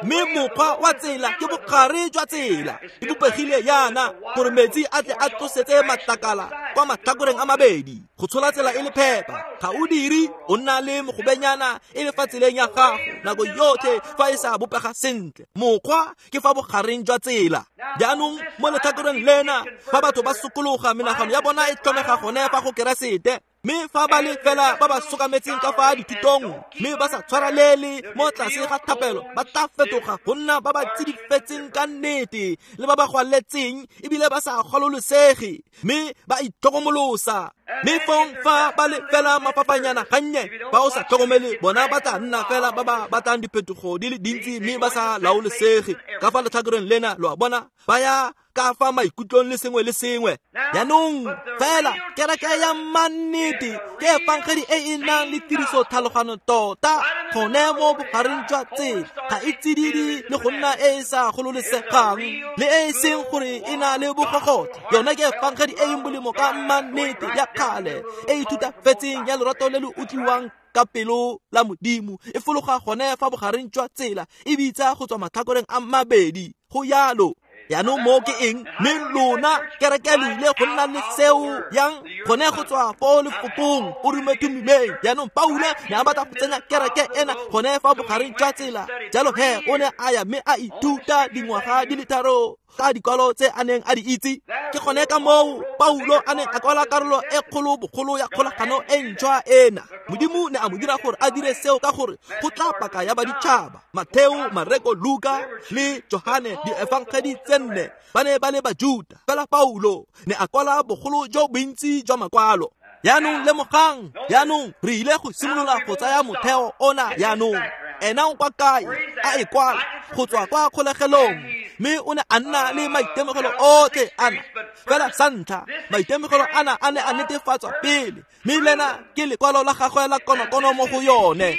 Mme mokgwa wa tsela ke bogare jwa tsela e bopegile yana gore metsi a tle a tlosetse matlakala kwa matlhakoreng a mabedi go tshola tsela e le phepa. Ga o dire o nna le mogobenyana e le fa tseleng ya gago nako yotlhe fa e sa bopega sentle. Mokgwa ke fa bogareng jwa tsela. Jaanong mo letlhakoreng lena fa batho ba sokologa menagano ya bona e tlhomega gone fa go Keresete mme fa ba le fela ba ba sokametseng ka fa dithutong mme ba sa tshwarelele mo tlase ga thapelo ba tla fetoga go nna ba ba tsidifetseng ka nnete le ba ba gwaletseng ebile ba sa gololosege mme ba itlhokomolosa. Mme fong fa ba le fela mafapanyana gannye ba o sa tlhokomele bona ba tla nna fela ba ba batlang diphetogo di le dintsi mme ba sa laolesege ka fa letlhakoreng lena lo a bona ba ya ka fa maikutlong le sengwe le sengwe. Jaanong fela kereke ya mannete ke efangedi e e nang le tiriso tlhalogano tota gone mo bogareng jwa tsela ga e tsididi le go nna e e sa gololesegang le e e seng gore e na le bogogotla. Yona ke efangedi e e molemo ka mannete ya kgale e e thutafetseng ya lorato le le utlwiwang ka pelo la Modimo e fologa gone fa bogareng jwa tsela e bitsa go tswa matlhakoreng a mabedi go yalo. Jaanong mo ke eng mme lona kereke le ile go nna le seo yang gone go tswa fo lefokong o rumethumimeng. Jaanong Paulo ne a batla go tsenya kereke ena gone fa bogareng jwa tsela jalo he o ne a ya mme a ithuta dingwaga di le tharo ka dikwalo tse a neng a di itse. Ke gone ka moo Paulo a neng a kwala karolo e kgolo bogolo ya kgolagano e ntšhwa ena. Modimo ne a mo dira gore a dire seo ka gore go tla paka ya baditšhaba Matheo, Mareko, Luka le Johane diefangedi tse nne ba ne ba le Bajuta. Fela Paulo ne a kwala bogolo jo bontsi jwa makwalo. Jaanong lemogang, jaanong re ile go simolola go tsaya motheo ona jaanong. Ena o kwa kae? a e kwala go tswa kwa kgolegelong, mme o ne a nna le maitemogelo otlhe ana. Fela sa ntlha, maitemogelo ana a ne a netefatswa pele, mme lena ke lekwalo la gagwe la konokono mo go yone.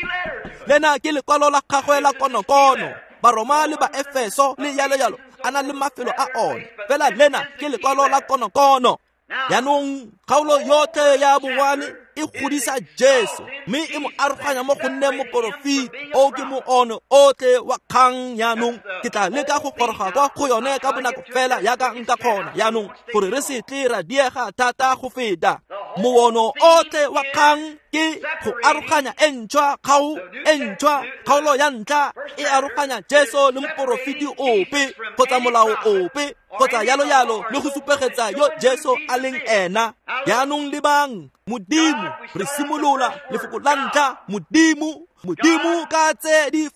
Lena ke lekwalo la gagwe la konokono. Baroma le Baefeso le yalo yalo a na le mafelo a one, fela lena ke lekwalo la konokono. Jaanong kgaolo yotlhe ya bongwane e godisa Jesu, mme e mo aroganya mo go nne moporofeti. O ke moono otlhe wa kgang. Jaanong ke tla leka go goroga kwa go yone ka bonako fela yaka nka kgona jaanong, gore re se tle ra diega thata go feta. Moono otlhe wa kgang ke go aroganya e ntšhwa, e ntšhwa. Kgaolo ya ntlha e aroganya Jesu le moporofeti ope kgotsa molao ope kgotsa yalo yalo, le go supegetsa yo Jesu a leng ena. Jaanong lebang Modimo, re simolola lefoko la ntlha, Modimo. Modimo ka tse di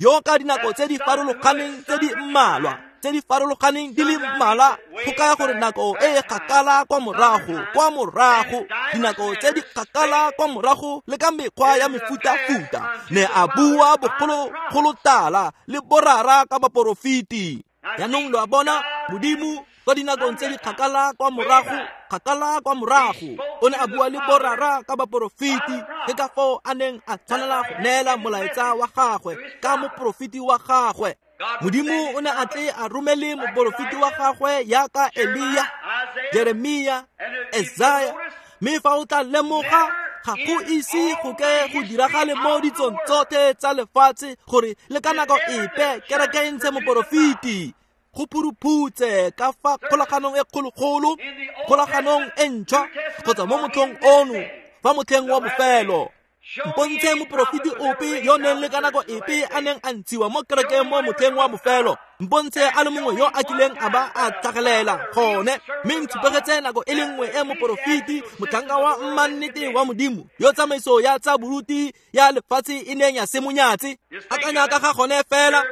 yo ka dinako tse di farologaneng tse di mmalwa, tse di farologaneng di le mmalwa, go kaya gore nako e e kgakala kwa morago, dinako tse di kgakala kwa morago le ka mekgwa ya mefutafuta, ne a bua bogologolotala le borara ka baporofeti. Jaanong lo a bona, Modimo kwa dinakong tse di kgakala kwa morago, o ne a bua le borara ka baporofeti. Ke ka foo a neng a tshwanela go neela molaetsa wa gagwe ka moporofeti wa gagwe. Modimo o ne a tle a romele moporofeti wa gagwe yaka Elia, Jeremia, Esaya, mme fa o tla lemoga, ga go ise go ke go diragale mo ditsong tsotlhe tsa lefatshe gore le ka nako epe kereke e ntshe moporofeti. Go phuruphutse ka fa kgolaganong e kgologolo, kgolaganong e ntšhwa, kgotsa mo motlhong ono, fa motlheng wa bofelo. Mpontshe moporofeti ope yo neng le ka nako epe a neng a ntshiwa mo kerekeng mo motlheng wa bofelo. Mpontshe a le mongwe yo a kileng a ba a tlhagelela gone, mme ntshupegetse nako e le nngwe e moporofeti, motlhanka wa mmannete wa Modimo, yo tsamaiso ya tsa boruti ya lefatshe e neng ya se monyatse. Akanya ka ga gone fela.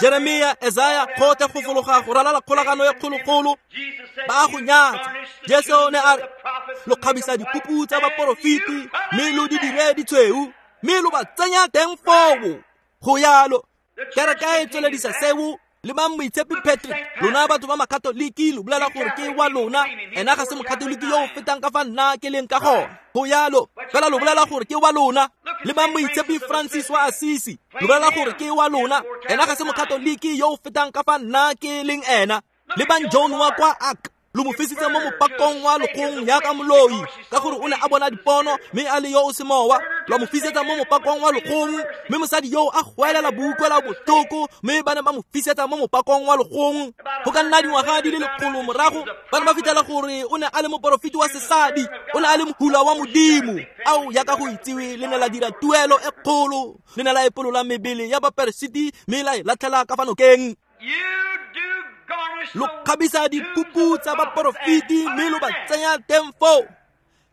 Jeremia, Esaya, gotlhe go fologa go ralala kgolagano e kgologolo, ba go nyatsa. Jesu ne a re, lo kgabisa dikupu tsa baporofeti, mme lo di dire ditshweu, mme lo ba tsenya teng foo. Go yalo, kereke e tsweledisa seo. Le ba Moitshepi Patrick, lona batho ba makatoliki lo bolela gore ke wa lona, ena ga se mokatoliki yo o fetang ka fa nna ke leng ka gona. Go yalo, fela lo bolela gore ke wa lona. Le ba Moitshepi Francis wa Assisi, lo bolela gore ke wa lona, ena ga se mokatoliki yo o fetang ka fa nna ke leng ena. Le bang John wa kwa Ark, lo mo fisitse mo mopakong wa lokgong yaka moloi, ka gore o ne a bona dipono mme a le yo o semowa. Lwa mo fisetsa mo mopakong wa lokgong, mme mosadi yo a goelela boutlwela botlhoko, mme ba ne ba mo fisetsa mo mopakong wa lokgong. Go ka nna dingwaga di le lekgolo morago, ba ne ba fitlhela gore o ne a le moporofeti wa sesadi, o ne a le mohula wa Modimo. Ao yaka go itsiwe, le ne la dira tuelo e kgolo, le ne la epolola mebele ya baperesiti mme la e latlhela ka fa nokeng. Lo kgabisa dikupu tsa baporofeti mme lo ba tsenya teng foo.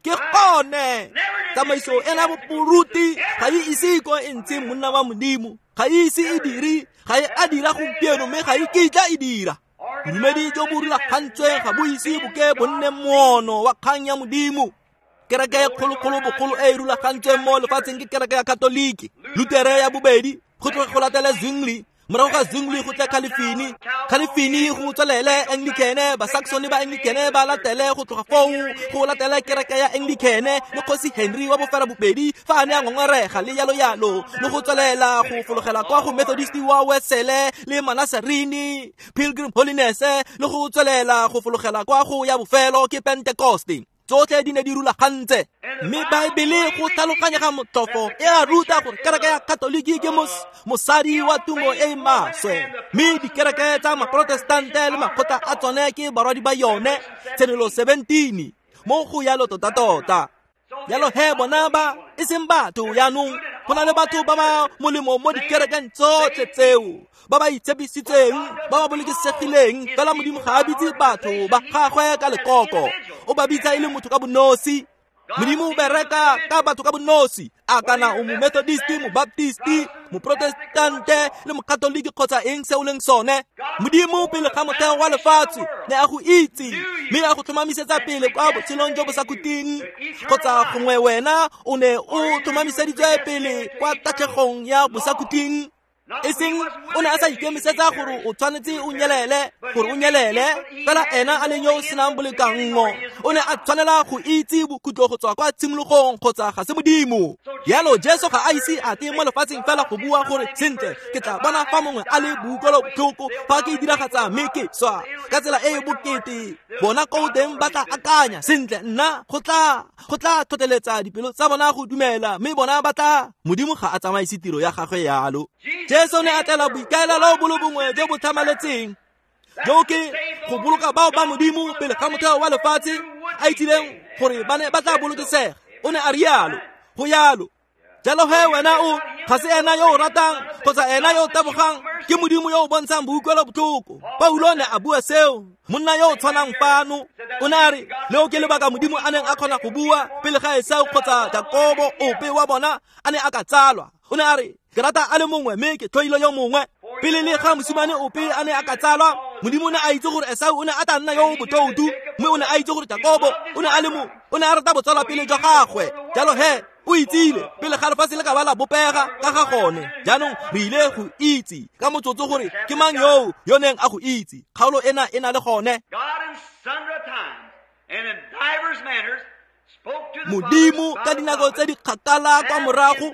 Ke gone tsamaiso ena boporuti ga e ise ko e ntse monna wa Modimo, ga e ise e dire, ga e a dira gompieno, mme ga e kitla e dira. Bodumedi jo bo rulagantsweng ga bo ise bo ke bo nne moono wa kgang ya Modimo. Kereke e kgologolo bogolo e e rulagantsweng mo lefatsheng ke kereke ya Katoliki, Lutere ya bobedi, go tloga go latele Zwingli, morago ga Zwingli go tle Calvini, Calvini go tswelele Anglicane, Basaxone ba Anglicane ba latele go tloga foo go latele kereke ya Anglicane le kgosi Henry wa bofera bobedi fa a ne a ngongorega le yalo yalo, le go tswelela go fologela kwa go Methodist wa Wesele le Manasarini, Pilgrim Holiness, le go tswelela go fologela kwa go ya bofelo ke Pentecoste. Tsotlhe di ne di rulagantse, mme Baebele go tlhaloganyega motlhofo e a ruta gore kereke ya Katoliki ke mosadi wa tumo e e maswe, mme dikereke tsa maprotestante le makgotla a tsone ke barwadi ba yone. Tshenolo 17 mo go yalo tota-tota. Yalo he bona ba e seng batho jaanong, go na le batho ba ba molemo mo dikerekeng tsotlhe tseo, ba ba itshepisitseng, ba ba bolokesegileng, fela Modimo ga a bitse batho ba gagwe ka lekoko, o ba bitsa e le motho ka bonosi. Modimo o bereka ka batho ka bonosi, a kana o mo Methodist, mo Baptist, mo Protestante le mo Katoliki kgotsa eng se o leng sone. Modimo pele ga motheo wa lefatshe ne a go itse, mme a go tlhomamisetsa pele kwa botshelong jo bo sa khutleng, kgotsa gongwe wena o ne o tlhomamiseditswe pele kwa tatlhegong ya bosakhutleng. E seng o ne a sa ikemisetsa gore o tshwanetse o nyelele gore o nyelele, fela ena a leng yo o senang bolekanngo o ne a tshwanela go itse bokhutlo go tswa kwa tshimologong kgotsa ga se Modimo. Jalo Jesu ga a ise a tle mo lefatsheng fela go bua gore sentle ke tla bona fa mongwe a le boutlwelobotlhoko fa ke diragatsa mme ke swa ka tsela e e bokete. Bona ko teng ba tla akanya sentle nna go tla tlhotlheletsa dipelo tsa bona go dumela, mme bona ba tla. Modimo ga a tsamaise tiro ya gagwe yalo. Jesu ne a tlela boikaelelo bo le bongwe jo bo tlhamaletseng, jo ke go boloka bao ba Modimo pele ga motheo wa lefatshe a itsileng gore ba ne ba tla bolokesega. O ne a rialo, go yalo. Jalo he wena o ga se ena yo o ratang kgotsa ena yo o tabogang, ke Modimo yo o bontshang boutlwelobotlhoko. Paulo ne a bua seo, monna yo o tshwanang fano. O ne a re leo ke lebaka Modimo a neng a kgona go bua pele ga Esau kgotsa Jakobo ope wa bona a ne a ka tsalwa. O ne a re ke rata a le mongwe mme ke tlhoile yo mongwe. Pele le ga mosimane ope a ne a ka tsalwa, Modimo o ne a itse gore Esau o ne a tla nna yo o botoutu, mme o ne a itse gore Jakobo o ne a le mo o ne a rata botsalwapele jwa gagwe. Jalo he o itsile pele ga lefatshe le ka ba la bopega ka ga gone. Jaanong re ile go itse ka motsotso gore ke mang yoo yo neng a go itse. Kgaolo ena e na le gone. Modimo ka dinako tse di kgakala kwa morago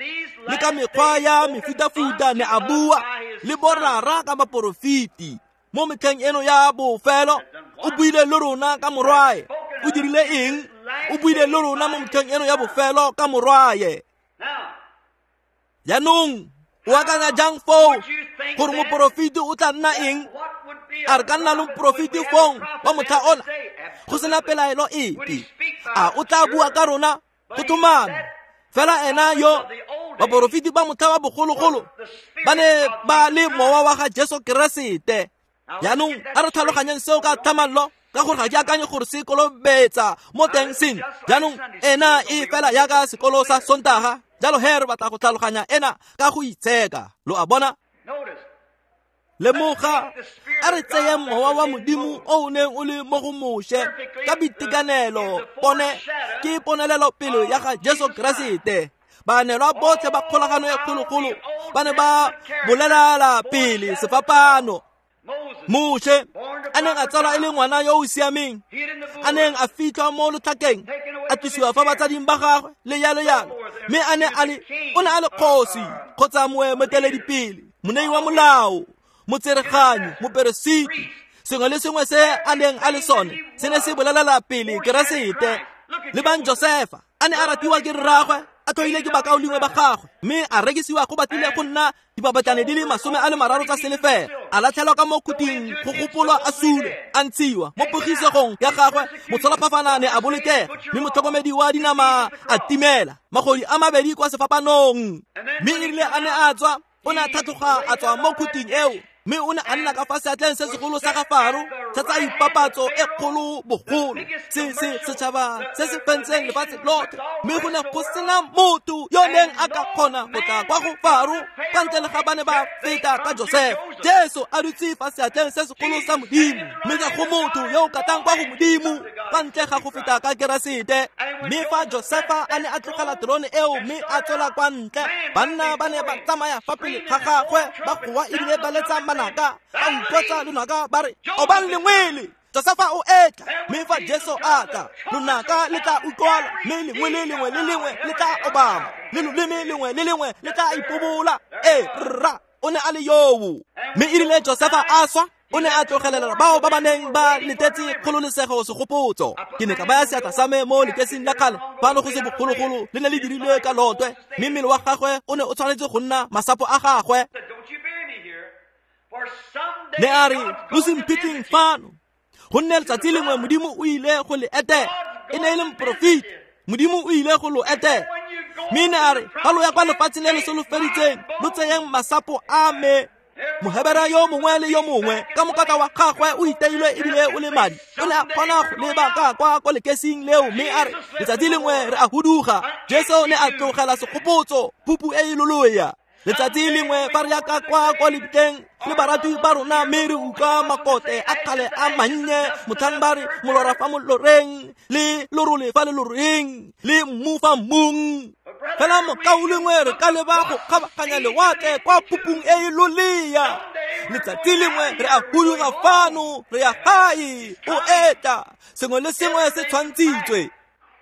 le ka mekgwa ya mefutafuta ne a bua le borara ka baporofeti. Mo metlheng eno ya bofelo o buile le rona ka morwae. O dirile eng? O buile le rona mo metlheng eno ya bofelo ka morwae. Jaanong o akanya jang foo gore moporofeti o tla nna eng? A re ka nna le moporofeti fong wa motlha ona go sena pelaelo epe? A o tla bua ka rona? Go tlhomame. Fela ena yo baporofeti ba motlha wa bogologolo ba ne ba le mowa wa ga Jesu Keresete. Jaanong a re tlhaloganyeng seo ka tlhamallo, ka gore ga ke akanye gore se kolobetsa mo teng seng. Jaanong ena e fela yaka sekolo sa Sontaga. Jalo he re batla go tlhaloganya ena ka go itsheka. Lo a bona? Lemoga, a re tseyeng mowa wa Modimo o o neng o le mo go Moshe ka boitekanelo. Pone ke ponelelo pele ya ga Jesu Keresete. Baanelwa botlhe ba kgolagano e kgologolo ba ne ba bolelala pele sefapano. Moshe a neng a tsalwa e le ngwana yo o siameng, a neng a fitlhwa mo lotlhakeng, a tlosiwa fa batsading ba gagwe le yalo yalo, mme a ne a le o ne a le kgosi kgotsa moeteledipele, monei wa molao, motsereganyi, moperesiti. Sengwe le sengwe se a neng a le sone se ne se bolelela pele Keresete. Le bang Josefa a ne a ratiwa ke rragwe, a tlhoile ke bakaulengwe ba gagwe, mme a rekisiwa go batlile go nna dipapatlane di le 30 tsa selefela, a latlhelwa ka mo khuting go gopolwa a sule, a ntshiwa mo pogisegong ya gagwe. Motsholaphafana ne a bolokega, mme motlhokomedi wa dinama a timela magodi a mabedi kwa sefapanong. Mme erile a ne a tswa, o ne a tlhatlhoga a tswa mo khuting eo, mme o ne a nna ka fa seatleng se segolo sa ga Faro sa tsa ipapatso e kgolo bogolo, se se setšhaba se se fentseng lefatshe lotlhe. Mme go ne go sena motho yo neng a ka kgona go tla kwa go Faro kwa ntle le ga ba ne ba feta ka Josefa. Jesu a dutse fa seatleng se segolo sa Modimo, mme ga go motho yo o ka tlang kwa go Modimo kwa ntle ga go feta ka Keresete. Mme fa Josefa a ne a tlogela terone eo mme a tswela kwa ntle, banna ba ne ba tsamaya fa pele ga gagwe ba goa ebile ba letsa manaka, ba utlwetsa lonaka ba re obang lengwele, Josefa o etla. Mme fa Jesu a tla, lonaka le tla utlwala, mme lengwe le lengwe le lengwe le tla obama, le loleme lengwe le lengwe le tla ipobola. Ee rra, o ne a le yoo. Mme erile Josefa a swa, o ne a tlogelela bao ba ba neng ba letetse kgololesego segopotso. Ke ne ka baya seatla sa me mo lekesing la kgale fano go se bogologolo, le ne le dirilwe ka lotwe, mme mmele wa gagwe o ne o tshwanetse go nna masapo a gagwe. Ne a re lo se mphitlheng fano, gonne letsatsi lengwe Modimo o ile go le etela. E ne e le moporofeti, Modimo o ile go lo etela. Mme ne a re fa lo ya kwa lefatsheng le le solofeditseng, lo tseyeng masapo a me. Mohebera yo mongwe le yo mongwe ka mokatla wa gagwe o iteilwe ebile o le madi, o ne a kgona go leba ka kwa ko lekesing leo, mme a re letsatsi lengwe re a huduga. Jesu ne a tlogela segopotso, pupu e e loloya. Letsatsi lengwe fa re ya ka kwa lebitleng le barati ba rona, mme re utlwa makote a kgale a mannye motlhang ba re molora fa moloreng le lorole fa le loreng le mmu fa mmung. Fela mokaulengwe re ka leba go kgabaganya lewatle kwa phupung e e lolea. Letsatsi lengwe re a huduga fano, re ya gae, o etla, sengwe le sengwe se tshwantshitswe.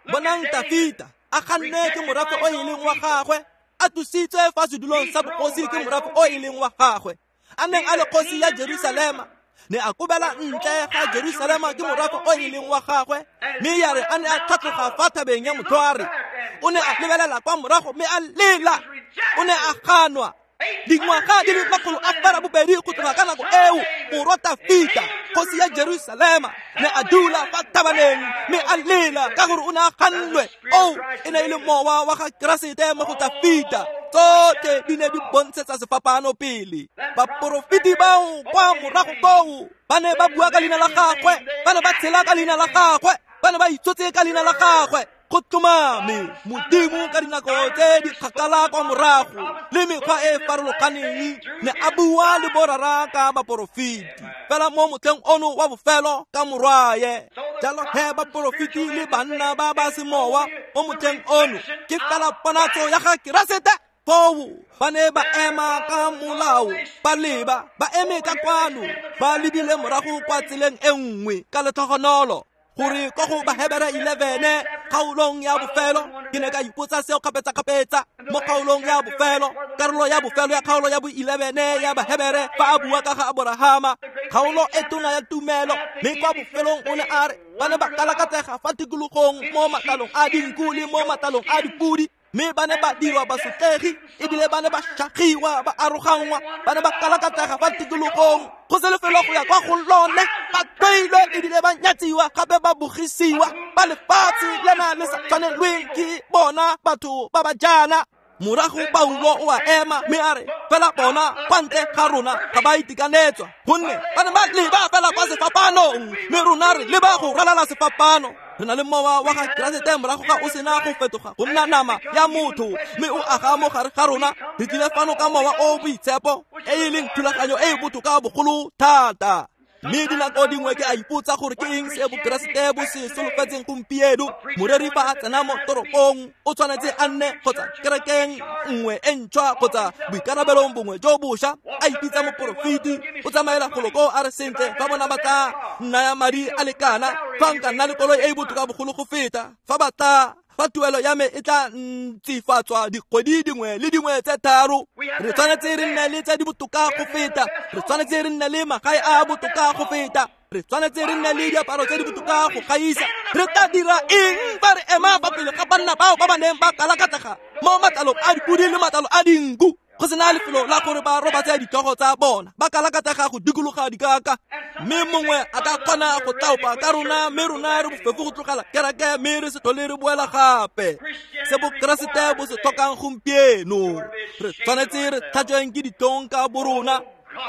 Bonang Tafita a ganne ke morafe o e leng wa gagwe, a tlositswe fa sedulong sa bogosi ke morafe o e leng wa gagwe, a neng a le kgosi ya Jerusalema, ne a kobela ntle ga Jerusalema ke morafe o e leng wa gagwe, mme ya re a ne a tlhatloga fa thabeng ya Motlhware, o ne a lebelela kwa morago mme a lela, o ne a ganwa. Dingwaga di le 802 go tloga ka nako eo, morwa Tafita kgosi ya Jerusalema ne a dula fa thabaneng mme a lela ka gore o ne a gannwe. O e ne e le mowa wa ga Keresete mo go Tafita. Tsotlhe di ne di bontshetsa sefapano pele. Baporofeti bao kwa morago koo ba ne ba bua ka leina la gagwe, ba ne ba tshela ka leina la gagwe, ba ne ba itshotse ka leina la gagwe. Go tlhomame Modimo ka dinako tse di kgakala kwa morago le mekgwa e farologaneng ne a bua le borara ka baporofeti, fela mo motlheng ono wa bofelo ka morwaye. Jalo he baporofeti le banna ba ba semowa mo motlheng ono ke fela ponatso ya ga Keresete. Foo ba ne ba ema ka molao, ba leba, ba eme ka kwano, ba lebile morago kwa tseleng e nngwe ka letlhogonolo. Gore kwa go Bahebere 11 kgaolong ya bofelo, ke ne ka ipotsa seo kgapetsa-kgapetsa mo kgaolong ya bofelo, karolo ya bofelo ya kgaolo ya bo 11 ya Bahebere, fa a bua ka ga Aborahama, kgaolo e tona ya tumelo, mme kwa bofelong o ne a re ba ne ba kalakatsega fa tikologong mo matlalong a dinku le mo matlalong a dipudi, mme ba ne ba dirwa basotlegi ebile ba ne ba shagiwa, ba aroganngwa, ba ne ba kalakatsega fa tikologong go se lefelo go ya kwa go lone, ba tloilwe ebile ba nyatsiwa, gape ba bogisiwa, ba lefatshe lena le sa tshwanelweng ke bona batho ba ba jaana. Morago Paulo o a ema mme a re fela bona kwa ntle ga rona ga ba itekanetswa, gonne ba ne ba leba fela kwa sefapanong, mme rona re leba go ralala sefapano. Re na le mowa wa ga Keresete morago ga o sena go fetoga go nna nama ya motho, mme o aga mo gare ga rona. Re tlile fano ka mowa o boitshepo, e e leng thulaganyo e e botoka bogolo thata. Mme dinako dingwe ke a ipotsa gore ke eng se bokeresete bo se solofetseng gompieno. Moreri fa a tsena mo toropong o tshwanetse a nne kgotsa kerekeng nngwe e ntšhwa kgotsa boikarabelong bongwe jo bošwa, a ipitsa moporofeti, o tsamaela golo koo a re sentle fa bona ba tla nnaya madi a lekana, fa nka nna le koloi e e botoka bogolo go feta, fa ba tla fa tuelo ya me e tla ntsifatswa dikgwedi dingwe le dingwe tse 3. Re tshwanetse re nne le tse di botoka go feta, re tshwanetse re nne le magae a botoka go feta, re tshwanetse re nne le diaparo tse di botoka go gaisa. Re tla dira eng fa re ema fa pele ga banna bao ba ba neng ba kalakatsega mo matlalong a dipudi le matlalo a dinku, go sena lefelo la gore ba robatse ditlhogo tsa bona, ba kalakatsega go dikologa dikaka, mme mongwe a ka kgona go tlaopa ka rona, mme rona re bofefo go tlogela kereke mme re se tlhole re boela gape. Se bokeresete bo se tlhokang gompieno, re tshwanetse re tlhatsweng ke ditlhong ka borona.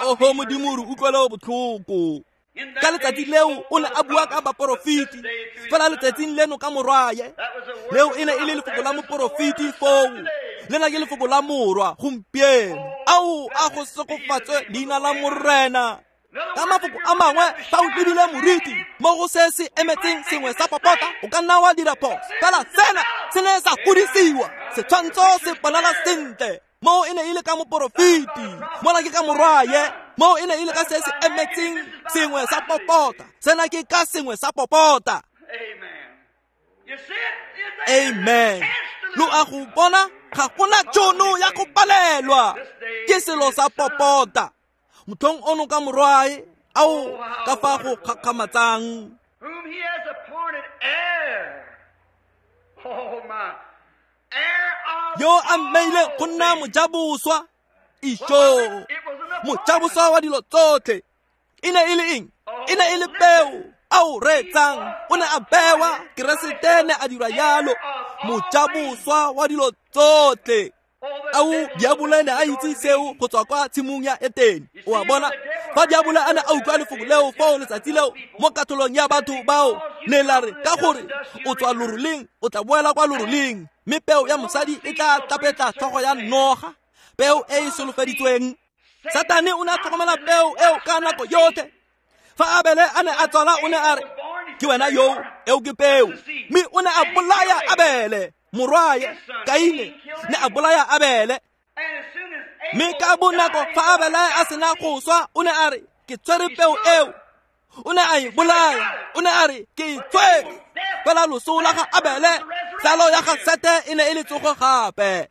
Oho Modimo, re utlwele botlhoko. Ka letsatsi leo o ne a bua ka baporofeti, fela letsatsing leno ka morwaye. Leo e ne e le lefoko la moporofeti foo, lena ke lefoko la morwa gompieno. Ao a go segofatswe leina la Morena. Ka mafoko a mangwe, fa o lebile moriti mo go se se emetseng sengwe sa popota, o ka nna wa dira phoso, fela sena se ne sa godisiwa, setshwantsho se bonala sentle. Mo e ne e le ka moporofeti, mola ke ka morwaye. Mo e ne e le ka se se emetseng sengwe sa popota, sena ke ka sengwe sa popota. Amen. Lo a go bona, ga gona tšhono ya go palelwa, ke selo sa popota. Motlhong ono ka morwae, ao ka fa go kgakgamatsang. Yo a mmeile go nna mojaboswa, isho mojaboswa wa dilo tsotlhe. E ne e le eng? E ne e le peo ao reetsang, o ne a bewa. Keresete ne a dira yalo, mojaboswa wa dilo tsotlhe. Ao diabolo ne a itse seo go tswa kwa tshimong ya Etene. O a bona, fa diabolo a ne a utlwa lefoko leo foo letsatsi leo mo katholong ya batho bao, ne la re ka gore o tswa loroleng o tla boela kwa loroleng, mme peo ya mosadi e tla tapetla tlhogo ya noga. Peo e e solofeditsweng. Satane o ne a tlhokomela peo eo ka nako yotlhe. Fa Abele a ne a tswala o ne a re, ke wena yo, eo ke peo. Mme o ne a bolaya Abele, morwae, Kaine ne a bolaya Abele. Mme ka bonako fa Abele a sena go swa, o ne a re, ke tshwere peo eo. O ne a e bolaya, o ne a re, ke e tshwere. Fela loso la ga Abele, tsalo ya ga Sete e ne e le tsogo gape.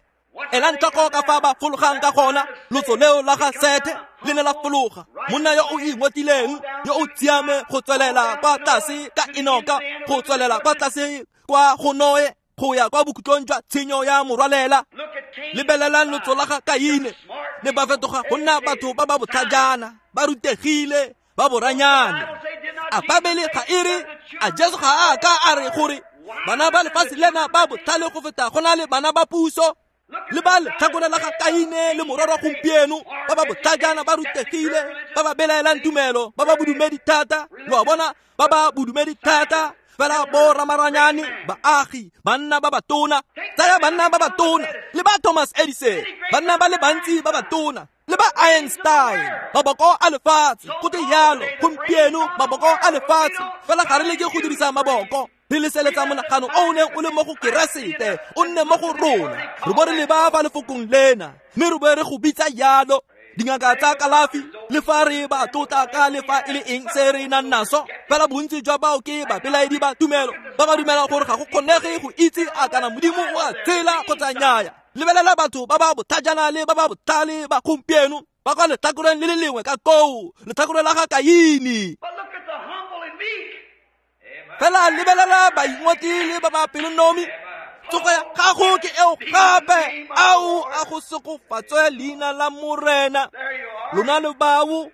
Elang tlhoko ka fa ba fologang ka gona, lotso leo la ga Sete le ne la fologa. Monna yo o ingotileng, yo o tsiame go tswelela kwa tlase ka Enoka, go tswelela kwa tlase kwa go Noe, go ya kwa bokhutlong jwa tshenyo ya morwalela. Lebelelang lotso la ga Kaine, ne ba fetoga go nna batho ba ba botlhajana, ba rutegile, ba boranyane. A Babele ga e re, a Jesu ga a ka a re gore bana ba lefatshe lena ba botlhale go feta go na le bana ba puso? Le ba letlhakore la ga Kaine le mororo gompieno, ba ba botlhajana, ba rutegile, ba ba belaelang tumelo, ba ba bodumedi thata. Lo a bona, ba ba bodumedi thata, fela bo ramaranyane, baagi, banna ba batona. Tsaya banna ba batona, le ba Thomas Edison, banna ba le bantsi ba batona, le ba Einstein, maboko a lefatshe. Go te yalo gompieno, maboko a lefatshe. Fela ga re leke go dirisa maboko, re leseletsa monagano o o neng o le mo go Keresete, o nne mo go rona. Re bo re leba fa lefokong lena, mme re bo re go bitsa yalo. Dingaka tsa kalafi, le fa re ba tlotla ka le fa e le eng se re nang naso, fela bontsi jwa bao ke bapelaedi ba tumelo, ba ba dumelang gore ga go kgonege go itse a kana Modimo o a tshela kgotsa nnyaya. Lebelela batho ba ba botlhajana le ba ba botlhale ba gompieno, ba kwa letlhakoreng le le lengwe ka koo, letlhakore la ga Kaine. Fela lebelela baingotli le ba ba pelonomi. Tsogo ya gago ke eo gape. Ao a go segofatswe leina la Morena. Lona le bao.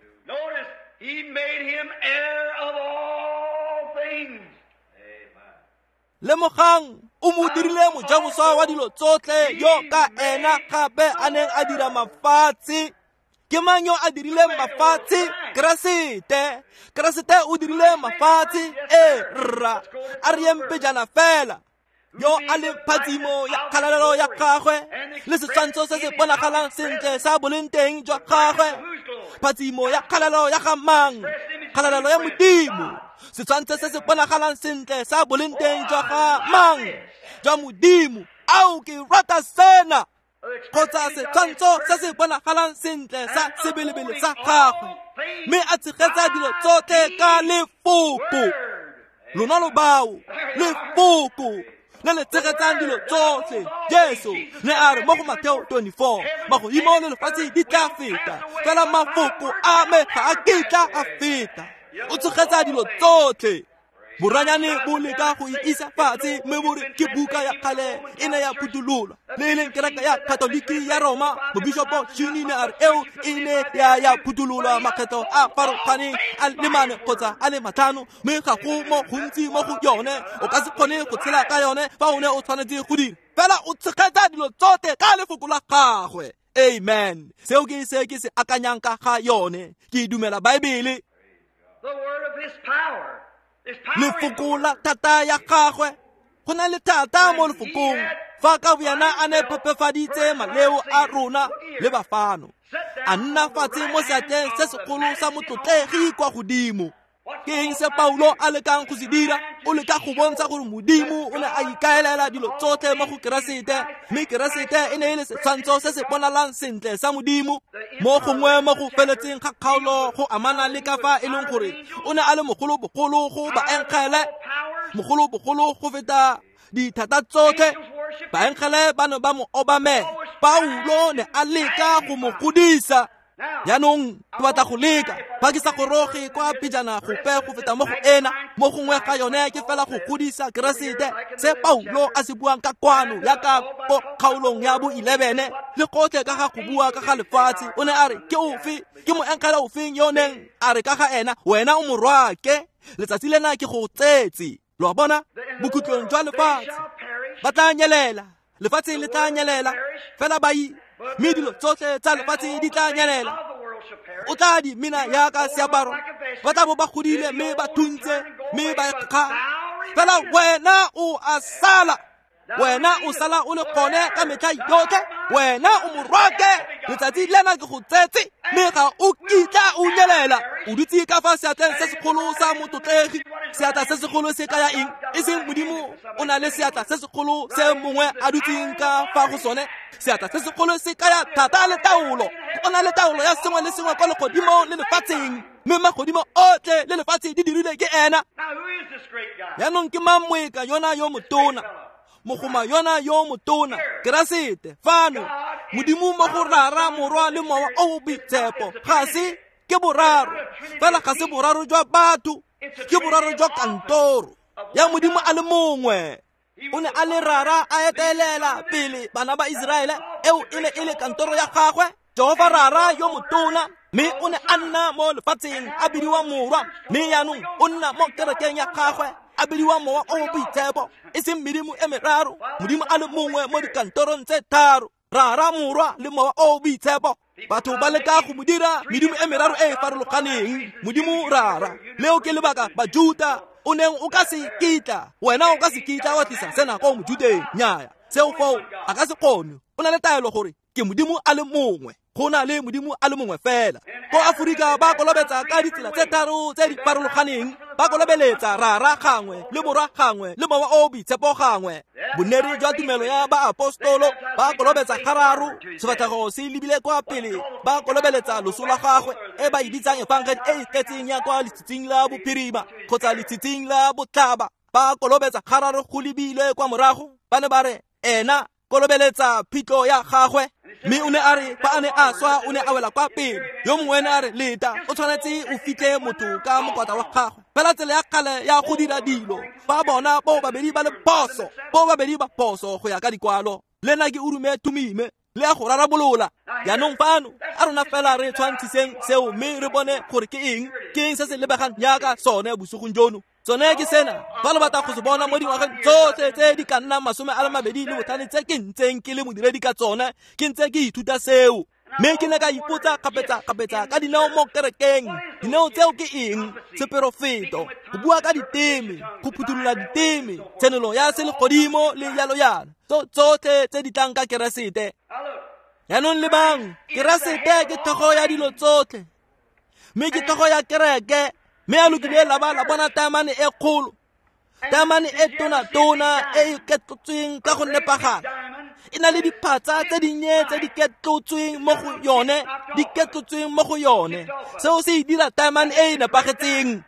Lemogang, o mo dirile mojaboswa wa dilo tsotlhe, yo ka ena gape a neng a dira mafatshe. Ke mang yo a dirileng mafatshe? Keresete. Keresete o dirile mafatshe. E rra, a re yeng pejana fela. Yo a le phatsimo ya kgalalelo ya gagwe, le setshwantsho se se bonagalang sentle sa boleng teng jwa gagwe. Phatsimo ya kgalalelo ya ga mang? Kgalalelo ya Modimo. Setshwantsho se se bonagalang sentle sa boleng teng jwa ga mang? Jwa Modimo. Ao, ke rata sena. Kgotsa setshwantsho se se bonagalang sentle sa sebelebele sa gagwe, mme a tshegetsa dilo tsotlhe ka lefoko. Lona lo bao, lefoko le le tshegetsang dilo tsotlhe. Jesu ne a re mo go Mateo 24, magodimo le lefatshe di tla feta, fela mafoko a me ga a kitla a feta. O tshegetsa dilo tsotlhe. Boranyane bo leka go e isa fatshe, mme bo re ke buka ya kgale e ne ya phuthololwa. Le e leng kereke ya Katoliki ya Roma, mobishopo Shuni ne a re eo e ne ya phuthololwa makgetho a farologaneng a le mane kgotsa a le matlhano, mme ga go mo gontsi mo go yone. O ka se kgone go tshela ka yone fa o ne o tshwanetse go dira. Fela o tshegetsa dilo tsotlhe ka lefoko la gagwe. Amen. Seo ke se ke se akanyang ka ga yone. Ke dumela Baebele. Lefoko la thata ya gagwe. Go na le thata mo lefokong. Fa ka boyena a ne phepefaditse maleo a rona le bafano, a nna fatshe mo seatleng se segolo sa motlotlegi kwa godimo. Ke eng se Paulo a lekang go se dira? O leka go bontsha gore Modimo o ne a ikaelela dilo tsotlhe mo go Keresete, mme Keresete e ne e le setshwantsho se se bonalang sentle sa Modimo. Mo gongwe mo go feletseng ga kgaolo go amana le ka fa e leng gore o ne a le mogolo-bogolo go baengele, mogolo-bogolo go feta dithata tsotlhe. Baengele ba ne ba mo obamela. Paulo ne a leka go mo godisa. Jaanong ke batla go leka, fa ke sa goroge kwa pejana gope go feta mo go ena, mo gongwe ga yone ke fela go godisa Keresete. Se Paulo a se buang ka kwano ya ka ko kgaolong ya bo 11 le gotlhe ka ga go bua ka ga lefatshe, o ne a re ke ofe, ke moengele ofeng yo neng a re ka ga ena, wena o morwake, letsatsi lena ke go tsetse. Lo a bona, bokhutlong jwa lefatshe ba tla nyelela, lefatshe le tla nyelela, fela ba mme dilo tsotlhe tsa lefatshe di tla nyelela. O tla di mena yaka seaparo, ba tla bo ba godile mme ba thuntse mme ba kga, fela wena o a sala. Wena o sala o le gone ka metlha yotlhe. Wena o morwake, letsatsi lena ke go tsetse, mme ga o kitla o nyelela. O dutse ka fa seatleng se segolo sa motlotlegi. Seatla se segolo se kaya eng? E seng Modimo o na le seatla se segolo se mongwe a dutseng ka fa go sone. Seatla se segolo se kaya thata le taolo. O na le taolo ya sengwe le sengwe kwa legodimong le lefatsheng, mme magodimo otlhe le lefatshe di dirilwe ke ena. Jaanong ke mang moeka yona yo motona, mogoma yona yo motona? Keresete fano, Modimo mo go Rara, Morwa le Mowa o o Boitshepo. Ga se ke boraro fela, ga se boraro jwa batho, ke boraro jwa kantoro ya Modimo a le mongwe. O ne a le Rara a etelela pele bana ba Iseraele, eo e ne e le kantoro ya gagwe, Jehova Rara yo motona, mme o ne a nna mo lefatsheng a bidiwa Morwa, mme jaanong o nna mo kerekeng ya gagwe a bidiwa Mowa o o Boitshepo. E seng medimo e meraro, Modimo a le mongwe mo dikantorong tse tharo, Rara, Morwa le Mowa o o Boitshepo. Batho ba leka go mo dira medimo e meraro e e farologaneng, Modimo Rara. Leo ke lebaka Bajuta o neng o ka se kitla, wena o ka se kitla wa tlisa sena ko Mojuteng. Nnyaya, seo foo a ka se kgone. O na le taelo gore ke Modimo a le mongwe, go na le Modimo a le mongwe fela. Ko Aforika ba kolobetsa ka ditsela tse tharo tse di farologaneng, ba kolobeletsa Rara gangwe le Morwa gangwe le Mowa o o Boitshepo gangwe. Boneri jwa tumelo ya baapostolo ba kolobetsa gararo, sefatlhego se lebile kwa pele, ba kolobeletsa loso la gagwe, e ba e bitsang efangedi e e tletseng ya kwa letshitsing la bophirima kgotsa letshitsing la botlhaba. Ba kolobetsa gararo go lebile kwa morago, ba ne ba re ena kolobeletsa phitlho ya gagwe, mme o ne a re fa a ne a swa o ne a wela kwa pele. Yo mongwe ne a re leta, o tshwanetse o fitlhe motho ka mokwatla wa gagwe. Fela tsela ya kgale ya go dira dilo, fa bona bo babedi ba le phoso, bo babedi ba phoso go ya ka dikwalo. Le nna ke urume tumime le ya go rarabolola. Jaanong fano a rona fela re tshwantshiseng seo mme re bone gore ke eng, ke eng se se lebegang jaaka sone bosigong jono. Tsone ke sena, fa lo batla go se bona mo dingwageng tsotlhe tse di ka nnang 25 tse ke ntseng ke le modiredi ka tsone, ke ntse ke ithuta seo. Mme ke ne ka ipotsa kgapetsa-kgapetsa ka dineo mo kerekeng. Dineo tseo ke eng? Seperofeto, go bua ka diteme, go phuthulola diteme, tshenolo ya selegodimo le jalo jalo, tsotlhe tse di tlang ka Keresete. Jaanong lebang, Keresete ke tlhogo ya dilo tsotlhe, mme ke tlhogo ya kereke. Mme a lokile la ba la bona taemane e kgolo, taemane e tona-tona e e ketlotsweng ka go nepagala, e na le diphatsa tse dinnye tse di ketlotsweng mo go yone, di ketlotsweng mo go yone. Seo se e dira taemane e e nepagetseng.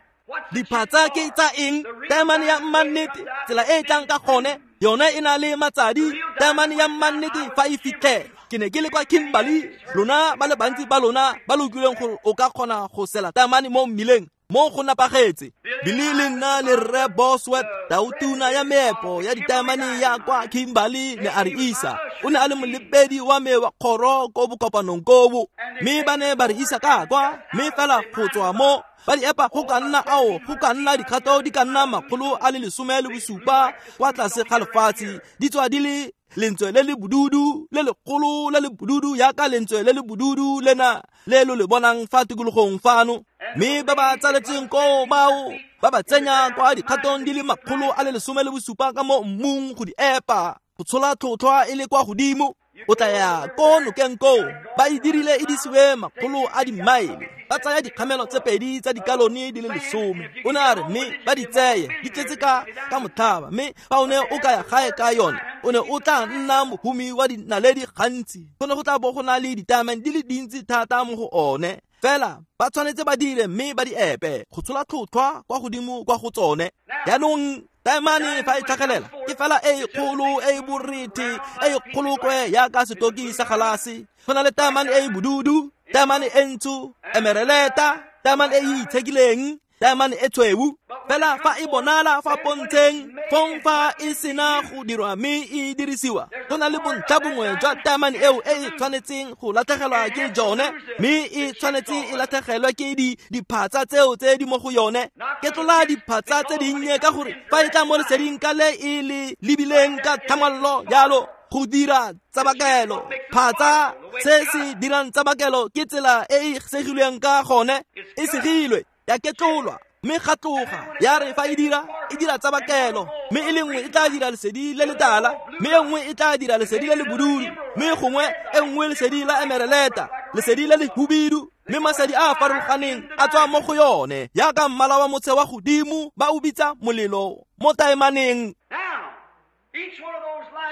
Diphatsa ke tsa eng? Taemane ya mmannete, tsela e e tlang ka gone, yone e na le matsadi. Taemane ya mmannete fa e fitlhelwa. Ke ne ke le kwa Kimberley, lona ba le bantsi ba lona ba lo utlwileng gore o ka kgona go sela taemane mo mmileng, mo go napagetse. Billy le nna le Rre Bosworth, tautuna ya meepo ya ditaemane ya kwa Kimberley, ne a re isa. O ne a le molebedi wa me wa kgoro ko bokopanong kobo, mme ba ne ba re isa ka kwa, mme fela go tswa mo ba di epa go ka nna ao, go ka nna dikgato di ka nna 117 kwa tlase ga lefatshe, di tswa di le lentswe le le bodudu le legolo le le bodudu yaka lentswe le le bodudu lena le lo le bonang fa tikologong fano. Mme ba ba tsaletseng koo bao ba ba tsenya kwa dikgatong di le 117 ka mo mmung go di epa, go tshola tlhotlhwa e le kwa godimo. O tla ya ko nokeng koo, ba e dirile e disiwe makgolo a dimaele, ba tsaya dikgamelo tse pedi tsa dikalone di le 10. O ne a re mme ba di tseye di tletse ka motlhaba, mme fa o ne o ka ya gae ka yone, o ne o tla nna mohumi wa dinaledi gantsi. Go ne go tla bo go na le ditaemane di le dintsi thata mo go one. Fela ba tshwanetse ba dire mme ba di epe go tshola tlhotlhwa kwa godimo kwa go tsone. Jaanong taemane fa e tlhagelela ke fela e kgolo e e borethe e e kgolokwe yaka setoki sa galase. Go na le taemane e e bodudu, taemane e ntsho, emereleta, taemane e e itshekileng, taemane e tshweu. Fela fa e bonala fa pontsheng, fong fa e sena go dirwa mme e dirisiwa, go na le bontlha bongwe jwa taemane eo e e tshwanetseng go latlhegelwa ke jone, mme e tshwanetse e latlhegelwe ke diphatsa tseo tse di mo go yone. Ke tlola diphatsa tse dinnye ka gore fa e tla mo leseding ka le e le lebileng ka tlhamallo jalo go dira tsabakelo. Phatsa se se dirang tsabakelo ke tsela e e segilweng ka gone, e segilwe ya ketlolwa. Mme ga tloga ya re fa e dira tsabakelo, mme e le nngwe e tla dira lesedi le letala, mme e nngwe e tla dira lesedi le le bodudu, mme gongwe e nngwe lesedi la emereleta, lesedi le le hubidu, mme masedi a a farologaneng a tswa mo go yone jaaka mmala wa motshe wa godimo ba o bitsa molelo mo taemaneng.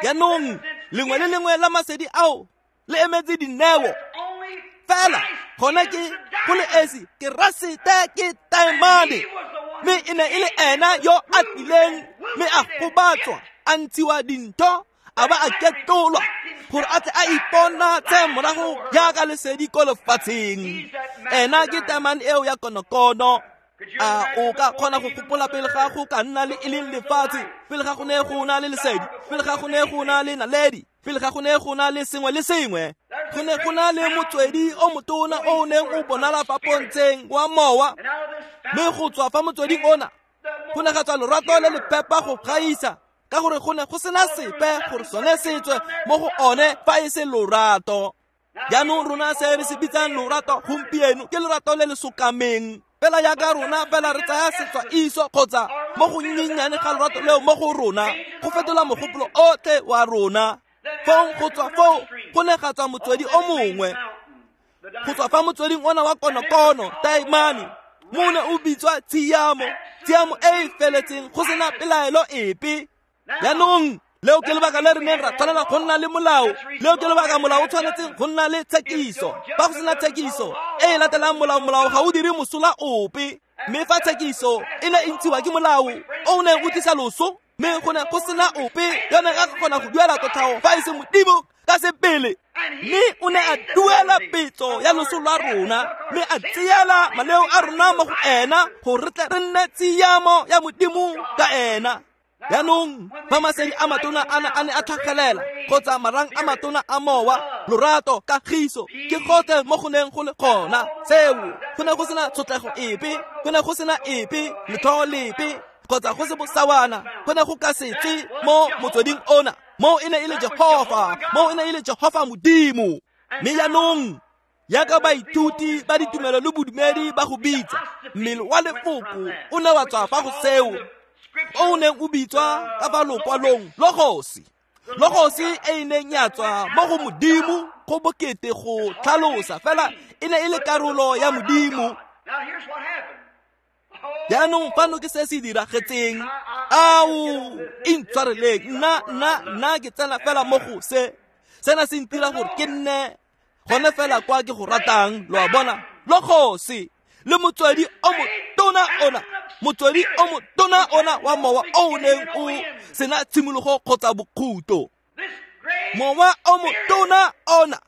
Jaanong lengwe le lengwe la masedi ao le emetse dineo fela, gona ke go le esi Keresete ke taemane, mme e ne e le ena yo a tlileng mme a gobatswa, a ntshiwa dintho, a ba a ketolwa gore a tle a iponatse morago jaaka lesedi ko lefatsheng. Ena ke taemane eo ya konokono. A o ka kgona go gopola pele ga go ka nna le e leng lefatshe, pele ga go ne go na le lesedi, pele ga go ne go na le naledi, pele ga go ne go na le sengwe le sengwe, go ne go na le motswedi o motona o o neng o bonala fa pontsheng wa mowa, mme go tswa fa motsweding ona go ne ga tswa lorato le lepepa go gaisa, ka gore go ne go sena sepe gore sone se tswe mo go one fa e se lorato. Jaanong rona se re se bitsang lorato gompieno ke lorato le le sokameng, fela jaaka rona fela re tsaya setswa iso kgotsa mo go nnyennyane ga lorato leo mo go rona go fetola mogopolo otlhe wa rona. Fong go tswa foo go ne ga tswa motswedi o mongwe, go tswa fa motsweding ona wa konokono taemane, mo ne o bitswa tshiamo, tshiamo e e feletseng go sena pelaelo epe. Jaanong leo ke lebaka le re neng ra tshwanela go nna le molao, leo ke lebaka molao o tshwanetseng go nna le tshekiso. Fa go sena tshekiso e e latelang molao, molao ga o dire mosola ope. Mme fa tshekiso e ne e ntshiwa ke molao o neng o tlisa loso, mme go ne go sena ope yo neng a kgona go duela kotlhao fa e se Modimo ka sebele, mme o ne a duela petso ya loso lwa rona, mme a tseela maleo a rona mo go ena gore re tle re nne tshiamo ya Modimo ka ena. Jaanong fa masedi a matona ana a ne a tlhagelela kgotsa marang a matona a mowa, lorato, kagiso, ke gotlhe mo go neng go le gona. Seo go ne go sena tshotlego epe, go ne go sena epe letlhoo lepe kgotsa go se bosawana, go ne go ka se tswe mo motsweding ona. Moo e ne e le Jehofa, moo e ne e le Jehofa Modimo. Mme jaanong jaaka baithuti ba ditumelo le bodumedi ba go bitsa, mmele wa lefoko o ne wa tswa fa go seo o neng o bitswa ka fa lokwalong logosi. Logosi e e neng ya tswa mo go Modimo go bokete go tlhalosa, fela e ne e le karolo ya Modimo. Jaanong fano ke se se diragetseng. Ao, intshwareleng, nna ke tsena fela mo go se. Sena se ntira gore ke nne gone fela kwa ke go ratang, lo a bona. Logosi le motswedi o motona ona, motswedi o motona ona wa mowa o neng o sena tshimologo kgotsa bokhuto. Mowa o motona ona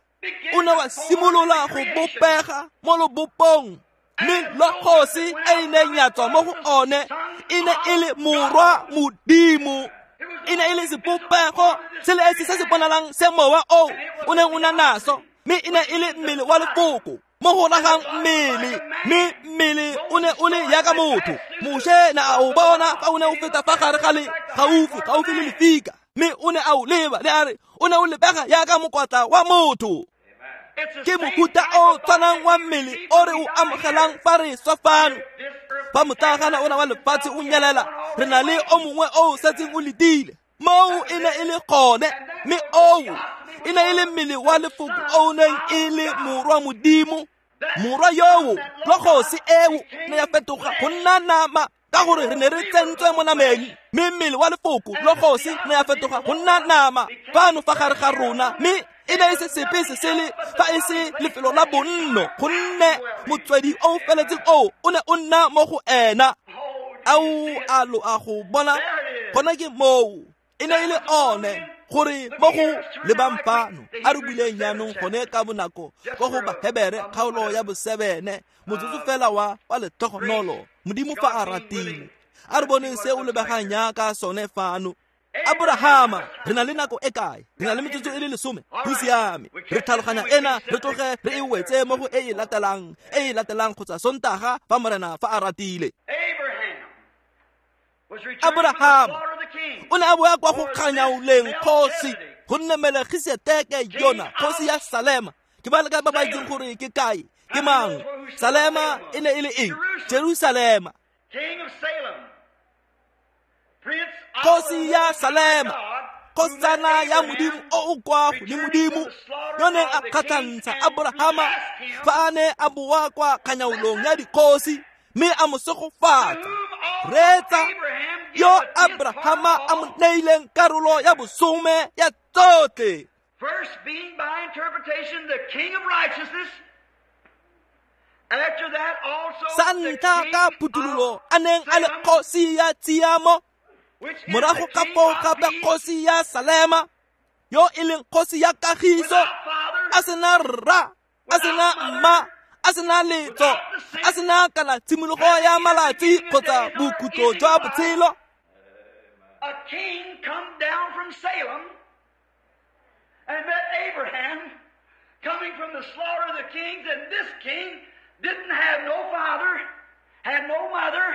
o ne wa simolola go bopega mo lobopong, mme logosi e e neng ya tswa mo go one e ne e le morwa Modimo. E ne e le sebopego se le esi se se bonalang se mowa o o neng o na naso, mme e ne e le mmele wa lefoko mo go ragang mmele, mme mmele o ne o le jaaka motho. Moshe ne a o bona fa o ne o feta fa gare ga le gaufi le lefika, mme o ne a o leba le a re o ne o lebega jaaka mokwatla wa motho. Ke mohuta o tshwanang wa mmele o re o amogelang fa re swa fano. Fa motlagana ona wa lefatshe o nyelela, re na le o mongwe o setseng o letile. Moo e ne e le gone, mme oo e ne e le mmele wa lefoko o neng e le morwa Modimo. Morwa yoo, logosi eo, ne ya fetoga go nna nama ka gore re ne re tsentswe mo nameng, mme mmele wa lefoko logosi ne ya fetoga go nna nama fano fa gare ga rona, mme e ne e se sepe se sele fa e se lefelo la bonno, gonne motswedi o feletseng o o ne o nna mo go ena. Ao a lo a go bona, gona ke moo e ne e le one gore mo go lebang fano a re buileng jaanong gone ka bonako ko go Bahebere kgaolo ya bo7, motsotso fela wa letlhogonolo. Modimo fa a ratile, a re boneng se o lebegang jaaka sone fano. Abrahama, re na le nako e kae? Re na le metsotso e le 10. Go siame, re tlhaloganya ena, re tloge re e wetse mo go e e latelang kgotsa Sontaga fa Morena fa a ratile. Abrahama o ne a boa kwa go kganyaoleng kgosi, gonne Melkisedeke yona kgosi ya Salema. Ke ba le kae ba ba itseng gore ke kae, ke mang? Salema e ne e le eng? Jerusalema. Kgosi ya Salema, kgosana ya Modimo o o kwa godimodimo, yo neng a kgatlhantsha Aborahama fa a ne a boa kwa kganyaolong ya dikgosi mme a mo segofatsa. Reetsa, yo Abrahama a mo neileng karolo ya bosome ya tsotlhe. First being by interpretation the king of righteousness. After that also sa ntlha ka phuthololo a neng a le kgosi ya tshiamo, morago ka foo gape kgosi ya Salema, yo e leng kgosi ya kagiso, a sena rra, a sena mma, a sena letso, a sena kana tshimologo ya malatsi kgotsa bokhutlo jwa botshelo. A king come down from Salem and met Abraham coming from the slaughter of the kings, and this king didn't have no father, had no mother,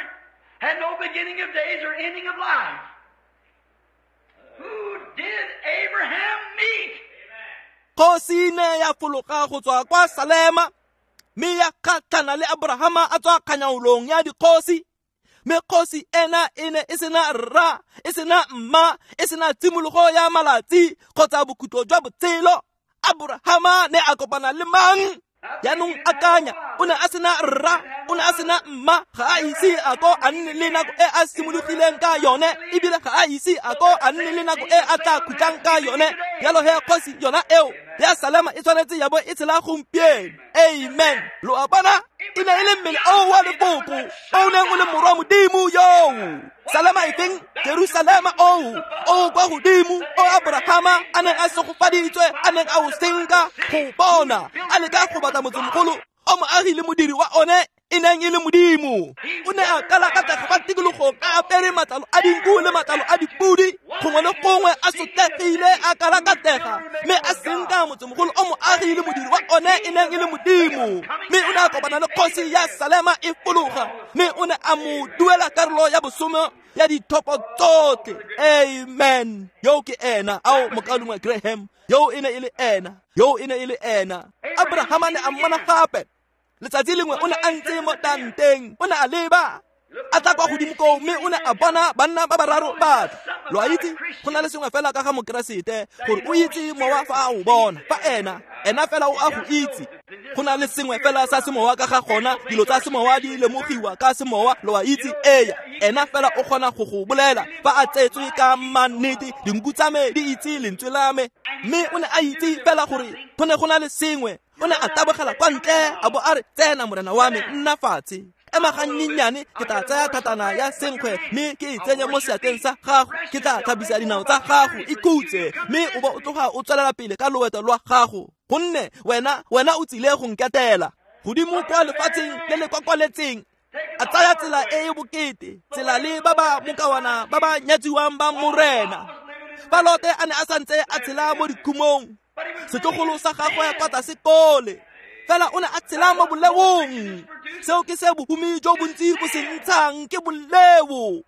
had no beginning of days or ending of life. Who did Abraham meet? Kgosi ne ya fologa go tswa kwa Salema mme ya kgatlhana le Abrahama a tswa kganyaolong ya dikgosi. Mme kgosi ena e ne e sena rra, e sena mma, e sena tshimologo ya malatsi kgotsa bokhutlo jwa botshelo. Abrahama ne a kopana le mang? Jaanong akanya, o ne a sena rra, o ne a sena mma, ga a ise a ko a nne le nako e a simologileng ka yone, ebile ga a ise a ko a nne le nako e a tla khutlang ka yone. Jalo he kgosi yona eo ya Salema e tshwanetse ya bo e tshela gompieno. Amen. Lo a bona? E ne e le mmele oo wa lefoko o neng o le morwa Modimo yoo. Salema e feng? Jerusalema oo o kwa godimo o Abrahama a neng a segofaditswe, a neng a o senka go bona, a leka go batla motsemogolo o moagi le modiri wa one e neng e le Modimo. O ne a kalakatega fa tikologong a apere matlalo a dinku le matlalo a dipudi, gongwe le gongwe a sotlegile a kalakatega, mme a senka motsemogolo o moagi le modiri wa one e neng e le Modimo. Mme o ne a kopana le kgosi ya Salema e fologa, mme o ne a mo duela karolo ya bosome ya dithopo tsotlhe. Amen. Yo ke ena, ao mokaulengwe Graham, yo e ne e le ena, yo e ne e le ena. Abrahama ne a mmona gape. Letsatsi lengwe o ne a ntse mo tanteng, o ne a leba, a tla kwa godimo koo, mme o ne a bona banna ba bararo ba tla. Lo a itse, go na le sengwe fela ka ga Mokeresete, gore o itse mowa fa a o bona, fa ena, ena fela o a go itse. Go na le sengwe fela sa semowa ka ga gona, dilo tsa semowa di lemogiwa ka semowa, lo a itse, eya, ena fela o kgona go go bolela fa a tsetswe ka mannete, dinku tsa me di itse lentswe la me. Mme o ne a itse fela gore go ne go na le sengwe. O ne a tabogela kwa ntle a bo a re, tsena morena wa me, nna fatshe. Ema ganyenyane, ke tla tsaya thatana ya senkgwe mme ke e tsenye mo seatleng sa gago, ke tla tlhapisa dinao tsa gago, ikhutse, mme o bo o tloga o tswelela pele ka loeto lwa gago, gonne wena o tsile go nketela. Godimo kwa lefatsheng le le kwakwaletseng, a tsaya tsela e e bokete, tsela le ba ba mokawana ba ba nyatsiwang ba morena. Fa Lote a ne a santse a tshela mo dikhumong, setlogolo sa gagwe kwa tlase kole, fela o ne a tshela mo boleong. Seo ke se bohumi jo bontsi bo se ntshang ke boleo.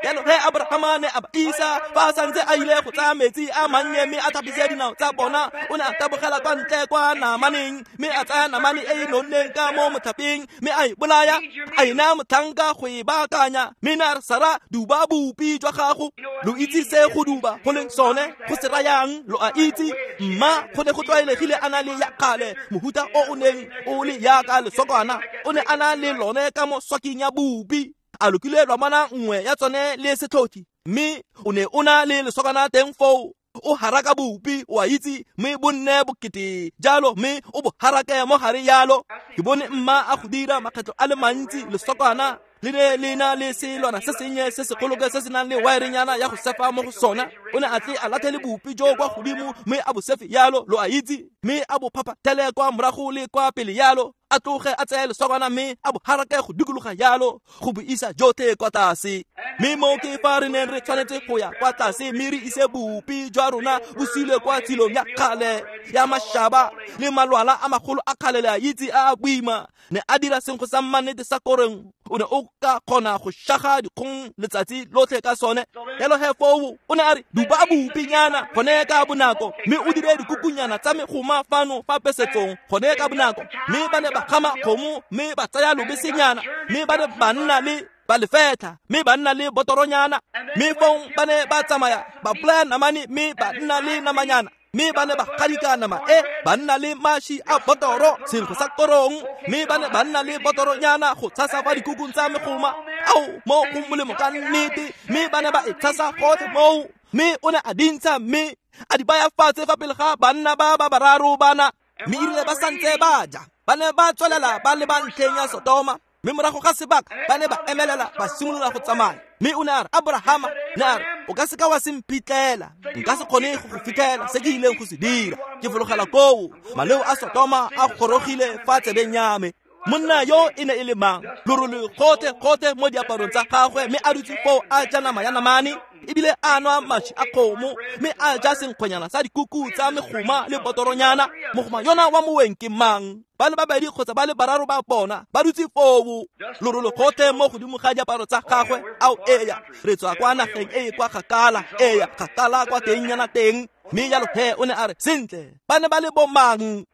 Jalo ge Abrahama ne a ba isa fa a santse a ile go tsaya metsi a mannye mme a thapise dinao tsa bona, o ne a tabogela kwa ntle kwa namaneng, mme a tsaya namane e e nonneng ka mo motlhapeng, mme a e bolaya, a e naya motlhanka go e baakanya. Mme ne a re, Sara, duba bopi jwa gago. Lo itse se go duba go leng sone, go se rayang, lo a itse. Mma go ne go tlwaelegile a na le ya kgale, mohuta o o neng o le yaka lesokwana, o ne a na le lone ka mo swaking ya bopi. A lokile lwamana nngwe ya tsone le setlhothi, mme o ne o na le lesokana teng foo. O haraka bopi, o a itse, mme bo nne bokete jalo, mme o bo harake mo gare yalo. Ke bone mma a go dira makgetlo a le mantsi. Lesokana le ne le na le selwana se sennye se segoloke se se nang le wirenyana ya go sefa mo go sona. O ne a tle a latlhele bopi jo kwa godimo mme a bo sefe yalo, lo a itse, mme a bo phaphathele kwa morago le kwa pele yalo, a tloge a tseye lesokana mme a bo harake go dikologa yalo, go bo isa jotlhe kwa tlase. Mme mo ke fa re neng re tshwanetse go ya kwa tlase mme re ise bopi jwa rona bo silwe kwa tshilong ya kgale ya mašaba le malwala a magolo a kgale, le a itse, a a boima. Ne a dira senkgwe sa mannete sa korong, o ne o ka kgona go shaga dikgong letsatsi lotlhe ka sone. Jalo he foo o ne a re, duba bopinyana gone ka bonako, mme o dire dikukunyana tsa megoma fano fa pesetsong gone ka bonako. Mme ba ne ba gama kgomo mme ba tsaya lobesenyana, mme ba ne ba nna le ba le fetlha mme ba nna le botoronyana, mme fong ba ne ba tsamaya ba bolaya namane mme ba nna le namanyana, mme ba ne ba gadika nama e ba nna le mashi a botoro, senkgwe sa korong, mme ba ne ba nna le botoronyana go tshasa kwa dikukung tsa megoma. Ao, mo go molemo ka nnete, mme ba ne ba e tshasa gotlhe moo, mme o ne a dintsha mme a di baya fatshe fa pele ga banna ba ba bararo bana. Mme erile ba santse ba ja, ba ne ba tswelela ba le ba ntlheng ya Sodoma, mme morago ga sebaka ba ne ba emelela ba simolola go tsamaya. Mme o ne a re, Abrahama, ne a re, o ka seka wa se mphitlhela, nka se kgone go go fitlhela se ke ileng go se dira. Ke fologela koo, maleo a Sodoma a gorogile fa tsebeng ya me. Monna yo e ne e le mang? Lorole gotlhe-gotlhe mo diaparong tsa gagwe, mme a dutse foo a ja nama ya namane, ebile a nwa mashi a kgomo, mme a ja senkgwenyana sa dikuku tsa megoma le botoronyana. Mogoma yona wa moweng ke mang? Ba le babedi kgotsa ba le bararo ba bona ba dutse foo, lorole gotlhe mo godimo ga diaparo tsa gagwe. Ao, eya, re tswa kwa nageng e e kwa kgakala, eya, kgakala kwa tengnyana teng. Mme jalo he o ne a re, sentle, ba ne ba le bomang?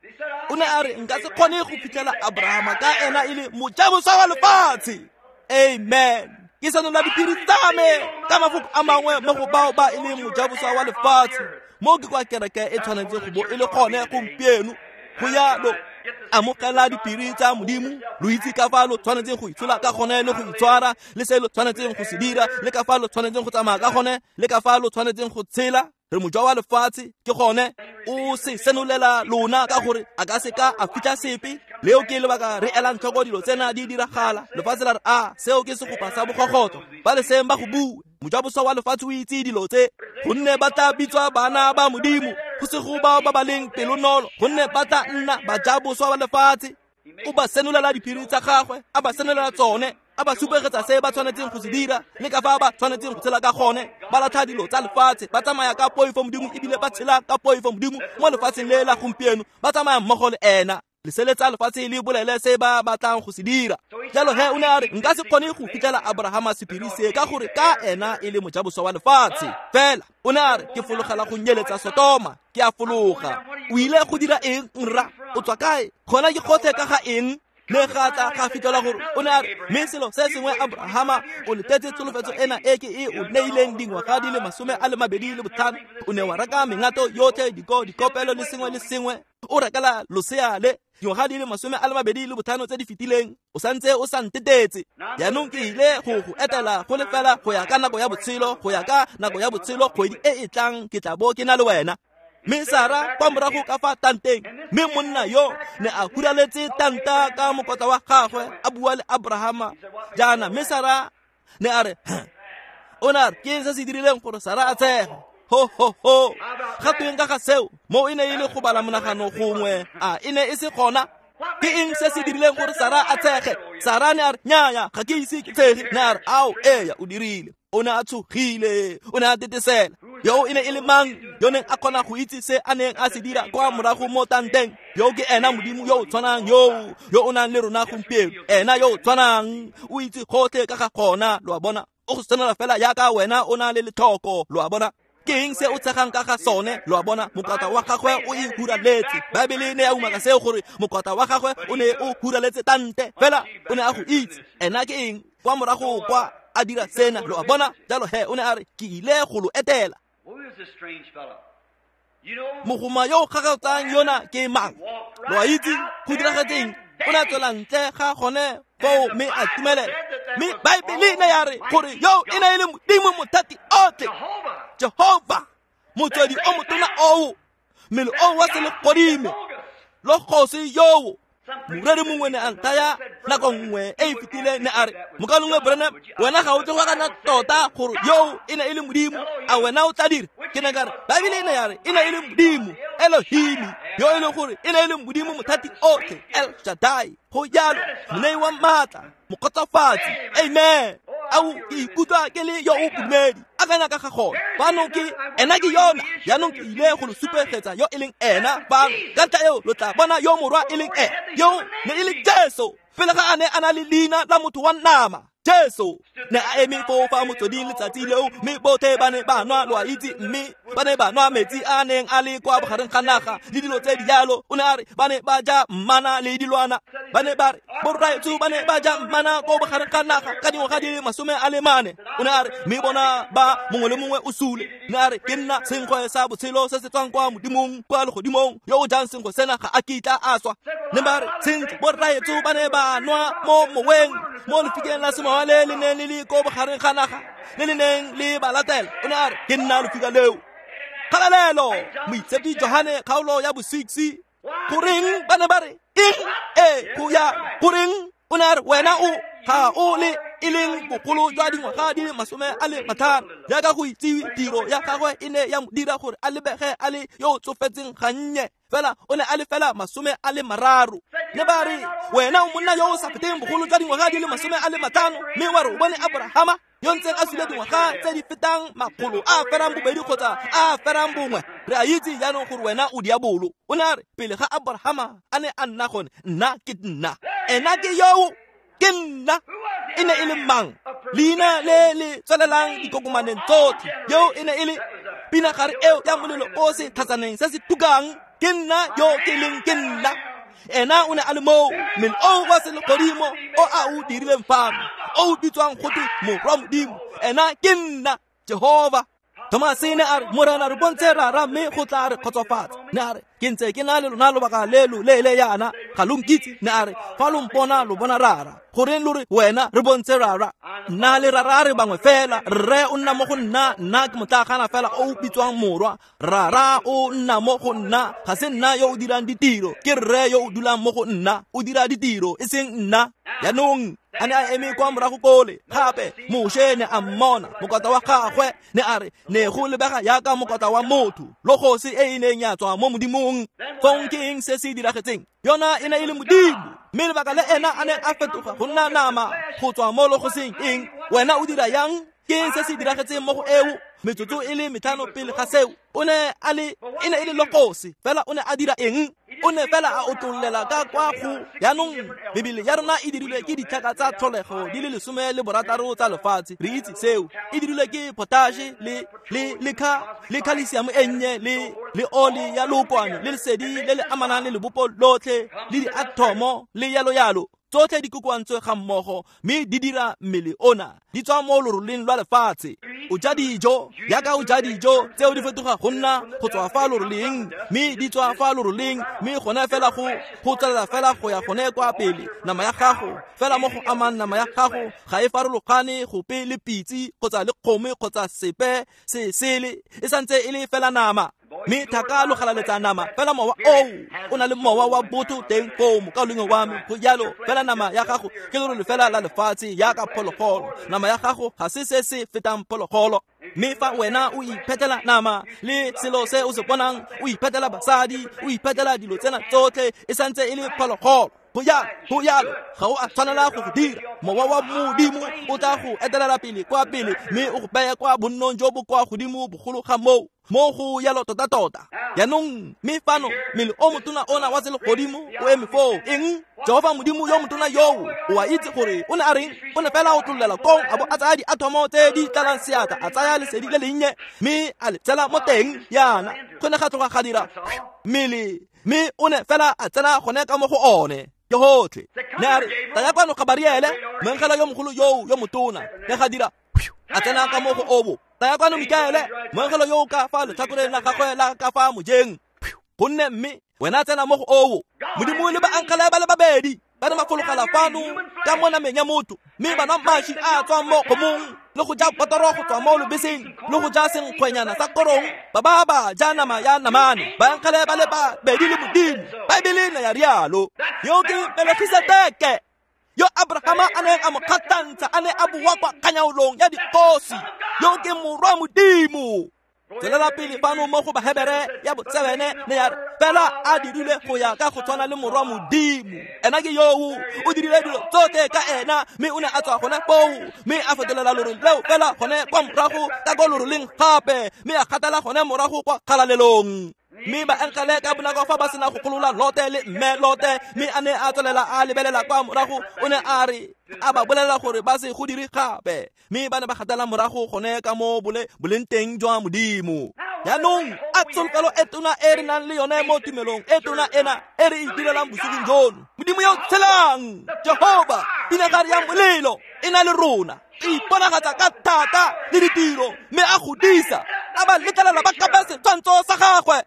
O ne a re, nka se kgone go fitlhela Abrahama ka ena e le mojaboswa wa lefatshe. Amen. Ke senola diphiri tsa me ka mafoko a mangwe mo go bao ba e leng mojaboswa wa lefatshe. Mo ke kwa kereke e tshwanetse go bo e le gone gompieno. Go yalo, amogela diphiri tsa Modimo, lo itse ka fa lo tshwanetseng go itshola ka gone le go itshwara, le se lo tshwanetseng go se dira, le ka fa lo tshwanetseng go tsamaya ka gone, le ka fa lo tshwanetseng go tshela. Re mojwa wa lefatshe, ke gone o se senolela lona ka gore a ka seka a fitlha sepe. Leo ke lebaka re elang tlhoko dilo tsena di diragala. Lefatshe la re, a seo ke segopa sa bogogoto, ba le seng ba go bue. Mojaboswa wa lefatshe o itse dilo tse, gonne ba tla bitswa bana ba Modimo, go se go bao ba ba leng pelonolo, gonne ba tla nna bajaboswa ba lefatshe. O ba senolela diphiri tsa gagwe, a ba senolela tsone, a ba supegetsa se ba tshwanetseng go se dira le ka fa ba tshwanetseng go tshela ka gone. Ba latlha dilo tsa lefatshe, ba tsamaya ka poifo Modimo, ebile ba tshela ka poifo Modimo mo lefatsheng le la gompieno, ba tsamaya mmogo le ena. Leseletsa lefatshe le bolele se ba batlang go se dira. Jalo he o ne a re, nka se kgone go fitlhela Abrahama sephiri se ka gore ka ena e le mojaboswa wa lefatshe. Fela o ne a re, ke fologela go nyeletsa Sodoma, ke a fologa. O ile go dira eng, nra? O tswa kae? Gona ke gotlhe ka ga eng? Le ga tla ga fitlhela gore o ne a re, mme selo se sengwe, Abrahama, o letetse tsholofetso ena e ke e o neileng dingwaga di le 25, o ne wa reka mengato yotlhe, dikopelo le sengwe le sengwe, o rekela losea le dingwaga di le 25 tse di fetileng, o santse o sa ntetetse. Jaanong ke ile go go etela go le fela go ya ka nako ya botshelo, go ya ka nako ya botshelo, kgwedi e e tlang ke tla bo ke na le wena. Mme Sara kwa morago ka fa tanteng, mme monna yo ne a huraletse tanta ka mokotla wa gagwe, a bua le Abrahama jaana. Mme Sara ne a re, o ne a re, ke eng se se dirileng gore Sara a tshege? Ho ho ho, ga tweng ka ga seo? Mo e ne e le go bala monagano gongwe, a e ne e se gona? Ke eng se se dirileng gore Sara a tshege? Sara ne a re, nnyaya, ga ke ise ke tshege. Ne a re, ao, eya, o dirile. O ne a tshogile, o ne a tetesela. Yo e ne e le mang yo neng a kgona go itse se a neng a se dira kwa morago mo tanteng? Yo ke ena Modimo yo o tshwanang yo o nang le rona gompieno. Ena yo o tshwanang, o itse gotlhe ka ga gona, lo a bona. O go senola fela jaaka wena o na le letlhoko, lo a bona. Ke eng se o tshegang ka ga sone, lo a bona? Mokota wa gagwe o e huraletse. Baebele ne ya umaka seo gore mokota wa gagwe o ne o huraletse tante, fela o ne a go itse. Ena ke eng kwa morago kwa a dira sena, lo a bona? Jalo he o ne a re, ke ile go lo etela. Mogoma yo o gagatsang yona ke mang? Lo a itse go diragetseng? O ne a tswela ntle ga gone foo mme a tumelela. Mme Baebele ne ya re gore yo e ne e le Modimo mothati otlhe, Jehova, motswedi o motona oo, mmele o wa selegodimo, logose yoo. Moreri mongwe ne a nthaya nako nngwe e e fetileng, ne a re, mokalongwe Branham, wena ga o tle go akanya tota gore yo e ne e le Modimo, a wena o tla dira? Ke ne ka re, Baebele e ne ya re e ne e le Modimo, Elohim, yo e leng gore e ne e le Modimo mothati otlhe, El Shaddai, go jalo, monei wa maatla, mokgotsofatsi. Amen. Ao, ke ikutlwa ke le yo o bodumedi. Akanya ka ga gone. Fano ke ena, ke yona. Jaanong ke ile go lo supegetsa yo e leng ena fano. Ka ntlha eo lo tla bona yo morwa e leng ena. Yo ne e le Jesu, pele ga a ne a na le leina la motho wa nama. Jesu ne a eme foo fa motsweding letsatsi leo, mme botlhe ba ne ba nwa, lo a itse, mme ba ne ba nwa metsi a neng a le kwa bogareng ga naga le dilo tse di jalo. O ne a re ba ne ba ja mmana le dilwana. Ba ne ba re borraetsho ba ne ba ja mmana ko bogareng ga naga ka dingwaga di le 40. O ne a re mme bona ba mongwe le mongwe o sule. Ne a re ke nna senkgwe sa botshelo se se tswang kwa Modimong kwa legodimong, yo o jang senkgwe sena ga a kitla a swa. Ne ba re sentle borraetsho ba ne ba nwa mo moweng mo lefikeng la semowa le le neng le le ko bogareng ga naga le le neng le ba latela. O ne a re ke nna lefika leo. Kgalalelo! Moitshepi Johane kgaolo ya bo-6. Goreng ba ne ba re eng? Ee, go ya goreng? O ne a re wena o ga o le e leng bogolo jwa dingwaga di le 50. Jaaka go itsiwe, tiro ya gagwe e ne ya mo dira gore a lebege a le yo o tsofetseng gannye, fela o ne a le fela 30. Ne ba re wena o monna yo o sa feteng bogolo jwa dingwaga di le 50, mme wa re o bone Abrahama yo ntseng a sule dingwaga tse di fetang 200 kgotsa 1. Re a itse jaanong gore wena o diabolo. O ne a re pele ga Abrahama a ne a nna gone, nna ke nna. Ena ke yoo, ke nna. E ne e le mang? Leina le le tswelelang dikokomaneng tsotlhe. Yo e ne e le pinagare eo ya molelo o se tlhatsaneng se se tukang. Ke nna yo ke leng ke nna. Ena o ne a le moo, mmele o wa selegodimo o a o dirileng fano, o o bitswang gote Morwa Modimo. Ena ke nna Jehova. Thomase ne a re Morena re bontshe Rara mme go tla re kgotsofatsa. Ne a re ke ntse ke na le lona lobaka le lo leele yana, ga lo nkitse. Ne a re fa lo mpona lo bona Rara. Goreng lo re wena re bontshe Rara? Nna le Rara re bangwe fela. Rre o nna mo go nna, nna ke motlagana fela o bitswang Morwa. Rara o nna mo go nna, ga se nna yo o dirang ditiro, ke Rre yo o dulang mo go nna, o dira ditiro, e seng nna. Jaanong a ne a eme kwa morago kole gape, Moshe ne a mmona mokota wa gagwe, ne a re ne go lebega jaaka mokota wa motho, logosi e e neng ya tswa mo Modimong. Fong ke eng se se diragetseng? Yona e ne e le Modimo, mme lebaka le ena a neng a fetoga go nna nama go tswa mo logosing eng? Wena o dira yang? Ke eng se se diragetseng mo go eo? Metsotso e le 5 pele ga seo, o ne a le e ne e le logosi, fela o ne a dira eng? O ne fela a otlollela ka kwa go. Jaanong mebele ya rona e dirilwe ke ditlhaka tsa tlholego di le 16 tsa lefatshe. Re itse seo. E dirilwe ke potashe le calcium e nnye le oli ya lookwane le lesedi le le amanang le lebopo lotlhe le diathomo le yalo yalo. Tsotlhe di kokoantswe ga mmogo mme di dira mmele ona, di tswa mo loroleng lwa lefatshe. O ja dijo jaaka o ja dijo tseo di fetoga go nna go tswa fa loroleng, mme di tswa fa loroleng, mme gone fela go tswelela fela go ya gone kwa pele. Nama ya gago fela mo go amang nama ya gago ga e farologane gope le pitse kgotsa le kgomo kgotsa sepe se sele, e santse e le fela nama. Mme thaka lo galaletsa nama fela mowa o na le mowa wa botho teng foo mokaulengwe wa me. Go jalo fela nama ya gago ke lerole fela la lefatshe jaaka phologolo. Nama ya gago ga se se se fetang phologolo. Mme fa wena o iphetela nama le selo se o se bonang, o iphetela basadi, o iphetela dilo tsena tsotlhe, e santse e le phologolo. Go jalo ga o a tshwanela go go dira. Mowa wa Modimo o tla go etelela pele kwa pele, mme o go beye kwa bonnong jo bo kwa godimo bogolo ga moo, mo go yalo tota-tota. Jaanong mme fano mmele o motona ona wa selegodimo o eme foo. Eng? Jehova Modimo yo motona yoo, o a itse gore o ne a reng? O ne fela o tlollela kong a bo a tsaya diathomo tse di tlalang seatla, a tsaya lesedi le lennye mme a le tsela mo teng yana. Go ne ga tloga ga dira mmele, mme o ne fela a tsena gone ka mo go one. Ke gotlhe. Ne a re taya kwano Gabariele, moengele yo mogolo yoo yo motona, ne ga dira a tsena ka mo go obo. Taya kwano Mikaele, moengele yo o ka fa letlhakoreng la gagwe la ka fa mojeng, gonne mme wena tsena mo go obo. Modimo le baangele ba le babedi ba ne ba fologela fano ka mo nameng ya motho, mme ba nwa maši a tswang mo kgomong le go ja botoro go tswa mo lobeseng le go ja senkgwenyana sa korong, ba ba ba ja nama ya namane. Baangele ba le babedi le Modimo. Baebele ne ya rialo. Yo ke Melkisedeke yo Abrahama a neng a mo kgathantsha a ne a boa kwa kganyaolong ya dikgosi. Yo ke Morwa Modimo. Tswelela pele fano mo go Bahebere ya bo-7 ne ya re fela a dirile go ya ka go tshwana le Morwa Modimo. Ena ke yoo, o dirile dilo tsotlhe ka ena, mme o ne a tswa gone foo, mme a fetolela lorole leo fela gone kwa morago ka ko loroleng gape, mme a gatela gone morago kwa kgalalelong. Mme baengele ka bonako fa ba sena go golola Lote le mme Lote, mme a ne a tswelela a lebelela kwa morago, o ne a re a ba bolelela gore ba se go dire gape, mme ba ne ba gatela morago gone ka mo boleng teng jwa Modimo. Jaanong a tsholofelo e tona e re nang le yone mo tumelong e tona ena e re e direlang bosigong jono. Modimo yo tshelang, Jehova, pinagare ya molelo e na le rona, e iponagatsa ka thata le ditiro, mme a godisa a ba letlelela ba kapa setshwantsho sa gagwe.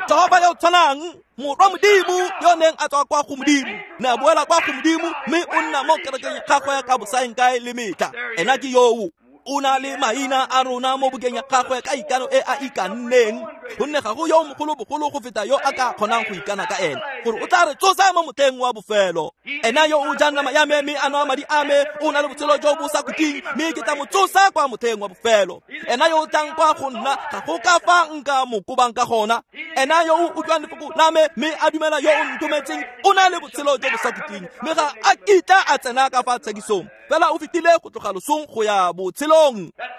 Jehova yo tshwanang, morwa Modimo yo neng a tswa kwa go Modimo, ne a boela kwa go Modimo, mme o nna mo kerekeng ya gagwe ka bosaengkae le metlha. Ena ke yoo o na le maina a rona mo bukeng ya gagwe ka ikano e a ikanneng, gonne ga go yo mogolo bogolo go feta yo a ka kgonang go ikana ka ene, gore o tla re tsosa mo motlheng wa bofelo. Ena yo o jang nama ya me mme a nwa madi a me o na le botshelo jo bo sa khutleng, mme ke tla mo tsosa kwa motlheng wa bofelo. Ena yo o tlang kwa go nna ga go ka fa nka mo kobang ka gona. Ena yo o utlwang lefoko la me mme a dumela yo o nthometseng o na le botshelo jo bo sa khutleng, mme ga a kitla a tsena ka fa tshekisong, fela o fetile go tloga losong go ya botshelong.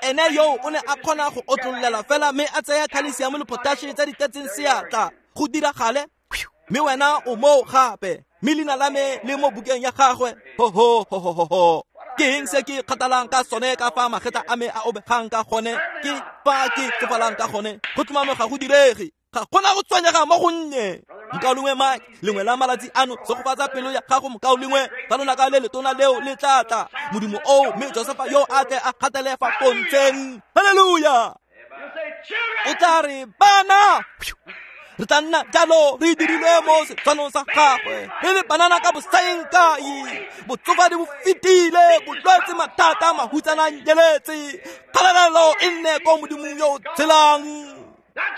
Ene yo o ne a kgona go otlololela fela mme a tsaya khalesiamo le potaše tse di tletseng seatla go diragale, mme wena o moo gape, mme leina la me le mo bukeng ya gagwe. Ho ho ho ho ho ho. Ke eng se ke kgathalang ka sone ka fa magetla a me a obegang ka gone, ke fa ke tsofalang ka gone? Go tlhomame ga go direge, ga gona go tshwenyega mo gonnye. Mokaulengwe Mike, lengwe la malatsi ano segofatsa pelo ya gago mokaulengwe, fa lonaka le letona leo le tla tla, Modimo oo, mme Josefa yo a tle a kgathele fa pontsheng. Haleluya! O tla re bana, re tla nna jalo re dirilwe mo setshwanong sa gagwe, re le banana ka bosaengkae. Botsofadi bo fetile, bolwetse, mathata, mahutsana a nyeletse. Kgalalelo e nne ko Modimong yo o tshelang.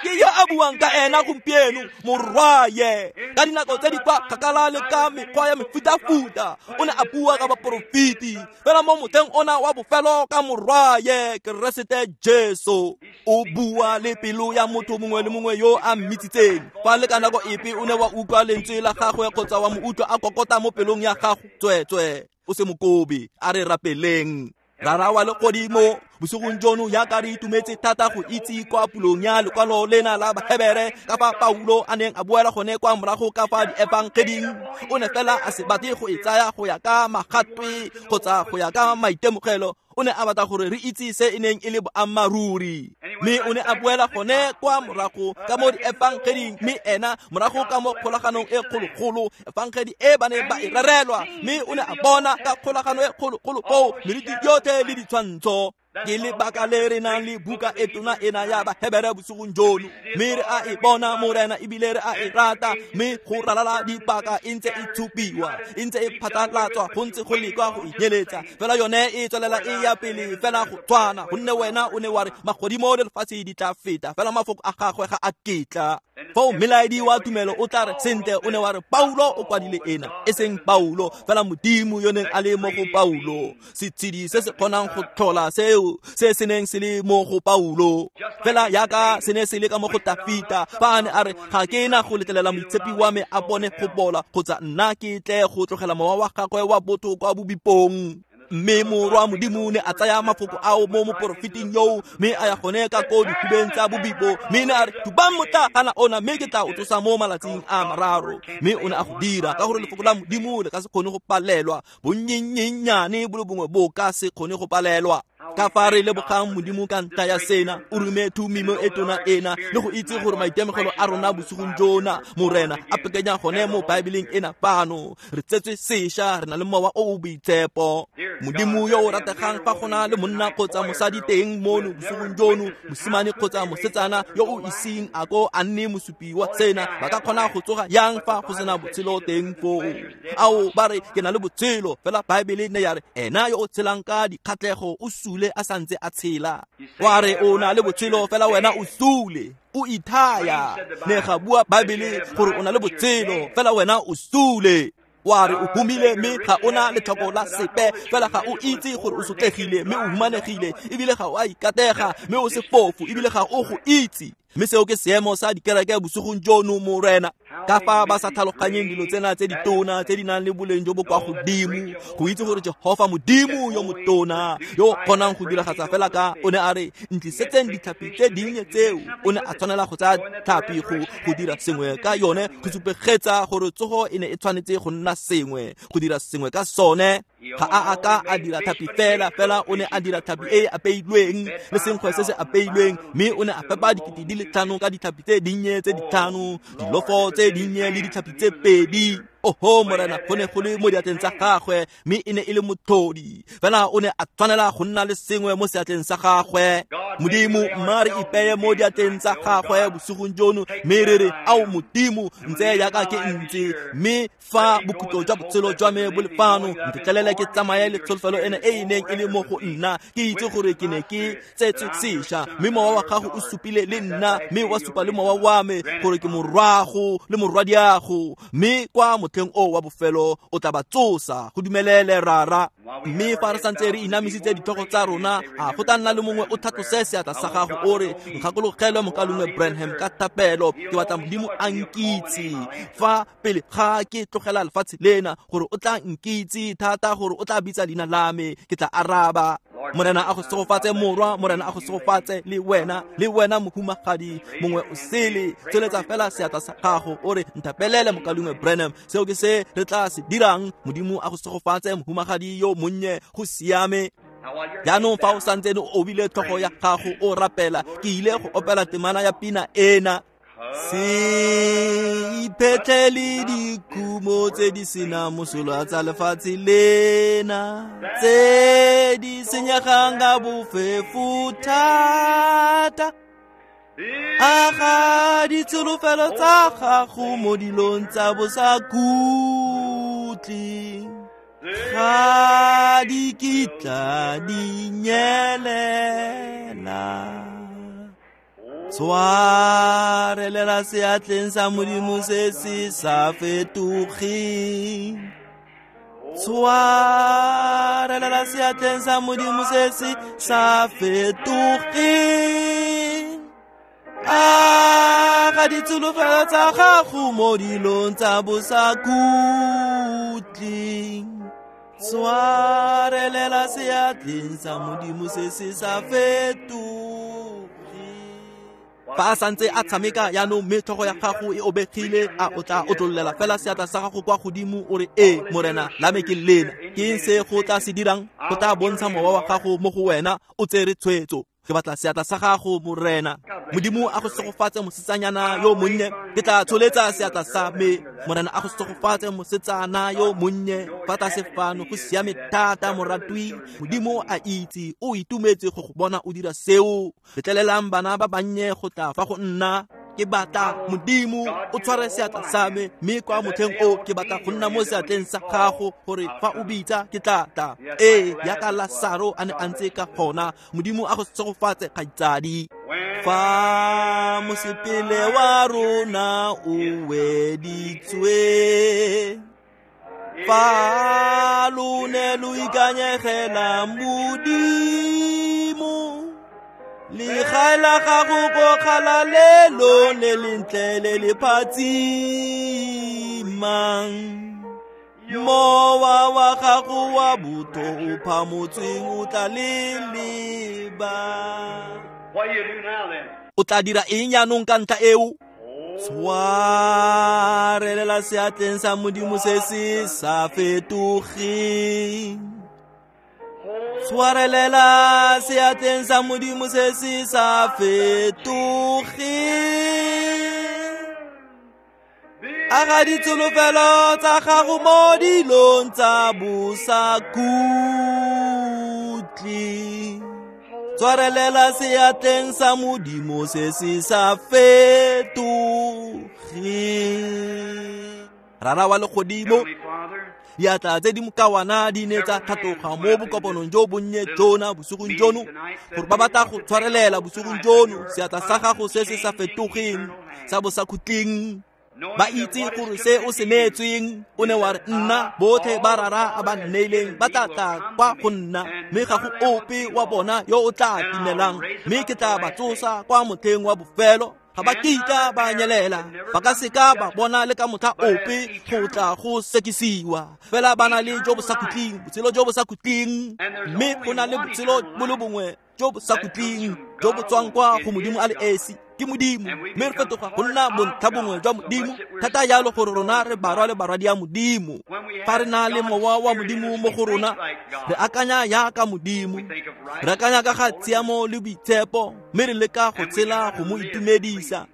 Ke yo a buang ka ena gompieno, morwaye. Ka dinako tse di kwa kgakala le ka mekgwa ya mefutafuta o ne a bua ka baporofeti, fela mo motlheng ona wa bofelo ka morwaye Keresete Jesu. O bua le pelo ya motho mongwe le mongwe yo a mmitsitseng. Fa le ka nako epe o ne wa utlwa lentswe la gagwe kgotsa wa mo utlwa a kokota mo pelong ya gago, tsweetswe o se mokobe. A re rapeleng. Rara wa legodimo, bosigong jono jaaka re itumetse thata go itse kwa pulong ya lekwalo lena la Bahebere ka fa Paulo a neng a boela gone kwa morago ka fa diefangeding, o ne fela a se batle go e tsaya go ya ka magatwe kgotsa go ya ka maitemogelo. O ne a batla gore re itse se e neng e le boammaaruri, mme o ne a boela gone kwa morago ka mo diefangeding, mme ena morago ka mo kgolaganong e kgologolo, efangedi e ba neng ba e rerelwa, mme o ne a bona ka kgolagano e kgologolo foo meriti yotlhe le ditshwantsho. Ke lebaka le re nang le buka e tona ena ya Bahebere bosigong jono, mme re a e bona Morena, ebile re a e rata, mme go ralala dipaka e ntse e tshupiwa, e ntse e phatlalatswa, go ntse go lekwa go e nyeletsa, fela yone e tswelela e ya pele fela go tshwana, gonne wena o ne wa re magodimo le lefatshe di tla feta, fela mafoko a gagwe ga a ketla. Foo melaedi wa tumelo o tla re sentle, o ne wa re Paulo o kwadile ena, e seng Paulo, fela Modimo yo neng a le mo go Paulo, setshedi se se kgonang go tlhola seo se se neng se le mo go Paulo, fela jaaka se ne se le ka mo go Tafita, fa a ne a re ga ke na go letlelela moitshepi wa me a bone go bola, kgotsa nna ke tle go tlogela mowa wa gagwe wa botho kwa bobipong. Mme morwa Modimo ne a tsaya mafoko ao mo moporofeting yoo, mme a ya gone ka ko dihubeng tsa bobipo, mme ne a re thubang motlagana ona, mme ke tla o tsosa mo malatsing a mararo. Mme o ne a go dira, ka gore lefoko la Modimo le ka se kgone go palelwa, bonnyennyane bo le bongwe bo ka se kgone go palelwa. Ka fa re lebogang Modimo ka ntlha ya sena, o rume thumimo e tona ena, le go itse gore maitemogelo a rona bosigong jona, Morena, a pekenya gone mo Baebeleng ena fano. Re tsetswe sešwa, re na le mowa o o boitshepo. Modimo yo o rategang, fa go na le monna kgotsa mosadi teng mono bosigong jono, mosimane kgotsa mosetsana yo o iseng a ko a nne mosupi wa sena, ba ka kgona go tsoga yang fa go sena botshelo teng foo? Ao, ba re ke na le botshelo, fela Baebele ne ya re ena yo o tshelang ka dikgatlhego o sule a santse a tshela. Wa re o na le botshelo, fela wena o sule, o ithaya. Ne ga bua Baebele gore o na le botshelo, fela wena o sule. Wa re o humile mme ga o na letlhoko la sepe, fela ga o itse gore o sotlegile mme o humanegile, ebile ga o a ikatega mme o sefofu, ebile ga o go itse. Mme seo ke seemo sa dikereke bosigong jono, Morena. Ka fa ba sa tlhaloganyeng dilo tsena tse ditona tse di nang le boleng jo bo kwa godimo, go itse gore Jehofa Modimo yo motona yo o kgonang go diragatsa fela ka o ne a re ntlisetseng ditlhapi tse dinnye tseo, o ne a tshwanela go tsaya tlhapi go dira sengwe ka yone, go supegetsa gore tsogo e ne e tshwanetse go nna sengwe, go dira sengwe ka sone. Ga a a ka a dira tlhapi fela, fela o ne a dira tlhapi e e apeilweng le senkgwe se se apeilweng, mme o ne a fepa 5,000 ka ditlhapi tse dinnye tse 5, dilofo tse dinnye le ditlhapi tse 2. Oho Morena, go ne go le mo diatleng tsa gagwe, mme e ne e le motlhodi. Fela o ne a tshwanela go nna le sengwe mo seatleng sa gagwe. Modimo, mma re ipeye mo diatleng tsa gagwe bosigong jono, mme re re, ao Modimo, ntse jaaka ke ntse, mme fa bokhutlo jwa botshelo jwa me bo le fano, ntetlelele ke tsamaye le tsholofelo ena e e neng e le mo go nna. Ke itse gore ke ne ke tsetswe sešwa, mme mowa wa gago o supile le nna, mme wa supa le mowa wa me gore ke morwago le morwadiago, mme kwa motlheng o wa bofelo o tla ba tsosa. Go dumelele, Rara. Mme fa re santse re inamisitse ditlhogo tsa rona, a go tla nna le mongwe o tlhatlose seatla sa gago o re, nkgakologelwe mokalongwe Branham ka thapelo, ke batla Modimo a nkitse fa pele ga ke tlogela lefatshe lena, gore o tla nkitse thata gore o tla bitsa leina la me, ke tla araba. Morena a go segofatse morwa, Morena a go segofatse le wena, le wena mohumagadi mongwe o sele. Tsweletsa fela seatla sa gago o re, nthapelele mokalongwe Branham. Seo ke se re tla se dirang. Modimo a go segofatse mohumagadi yo monnye, go siame. Jaanong fa o santse o obile tlhogo ya gago o rapela, ke ile go opela temana ya pina ena. Se iphetlhele dikhumo tse di senang mosola tsa lefatshe lena, tse di senyegang ka bofefo thata. Aga ditsholofelo tsa gago mo dilong tsa bosakhutleng, ga di kitla di nyelela. Tshwarelela seatleng sa Modimo se se sa fetogeng. Tshwarelela seatleng sa Modimo se se sa fetogeng. Aga ditsholofelo tsa gago mo dilong tsa bosakhutleng. Tshwarelela seatleng sa Modimo se se sa fetogeng. Fa a santse a tshameka jaanong, mme tlhogo ya gago e obegile, a o tla otlololela fela seatla sa gago kwa godimo o re, ee Morena, la me ke lena. Ke eng se go tla se dirang? Go tla bontsha mowa wa gago mo go wena o tsere tshwetso. Ke batla seatla sa gago, Morena. Modimo a go segofatse mosetsanyana yo monnye. Ke tla tsholetsa seatla sa me. Morena a go segofatse mosetsana yo monnye. Fa tlase fano, go siame thata, moratwi. Modimo a itse, o itumetse go go bona o dira seo. Letlelelang bana ba bannye go tla fa go nna. Ke batla Modimo o tshware seatla sa me, mme kwa motlheng o ke batla go nna mo seatleng sa gago, gore fa o bitsa ke tla tla. Ee, jaaka Lasaro a ne a ntse ka gona. Modimo a go segofatse, kgaitsadi. Fa mosepele wa rona o weditswe, fa lo ne lo ikanyegela Modimo, legae la gago ko kgalalelong le lentle le le phatsimang, mowa wa gago wa botho o phamotsweng o tla le leba. O tla dira eng jaanong ka ntlha eo? Tshwarelela seatleng sa Modimo se se sa fetogeng. Tshwarelela seatleng sa Modimo se se sa fetogeng. Aga ditsholofelo tsa gago mo dilong tsa bosakhutleng. Tshwarelela seatleng sa Modimo se se sa fetogeng. Rara wa legodimo, diatla tse di mokawana di ne tsa tlhatloga mo bokopanong jo bonnye jona bosigong jono, gore ba batla go tshwarelela bosigong jono seatla sa gago se se sa fetogeng sa bosakhutleng. Ba itse gore se o se neetsweng, o ne wa re, nna botlhe ba Rara a ba nneileng ba tla tla kwa go nna, mme ga go ope wa bona yo o tla timelang, mme ke tla ba tsosa kwa motlheng wa bofelo. Ga ba kitla ba nyelela, ba ka seka ba bona le ka motlha ope go tla go sekisiwa. Fela ba na le jo bo sa khutleng, botshelo jo bo sa khutleng. Mme go na le botshelo bo le bongwe jo bo sa khutleng, jo bo tswang kwa go Modimo a le esi, ke Modimo. Mme re fetoga go nna bontlha bongwe jwa Modimo thata jalo gore rona re barwa le barwadi ya Modimo. Fa re na le mowa wa Modimo mo go rona, re akanya jaaka Modimo, re akanya ka ga tshiamo le boitshepo, mme re leka go tshela go mo itumedisa.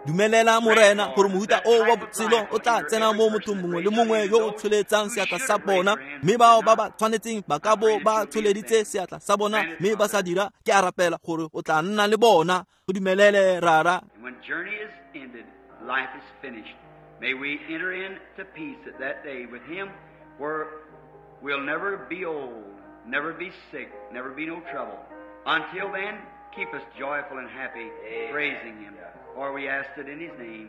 Dumelela Morena gore mohuta o wa botshelo o tla tsena mo mothong mongwe le mongwe yo o tsholetsang seatla sa bona, mme bao ba ba tshwanetseng ba ka bo ba tsholeditse seatla sa bona mme ba sa dira, ke a rapela gore o tla nna le bona. Go dumelele, Rara. When journey is ended, life is finished. May we enter into peace at that day with him, where we'll never be old, never be sick, never be no trouble. Until then, keep us joyful and happy, praising him. For we ask it in his name.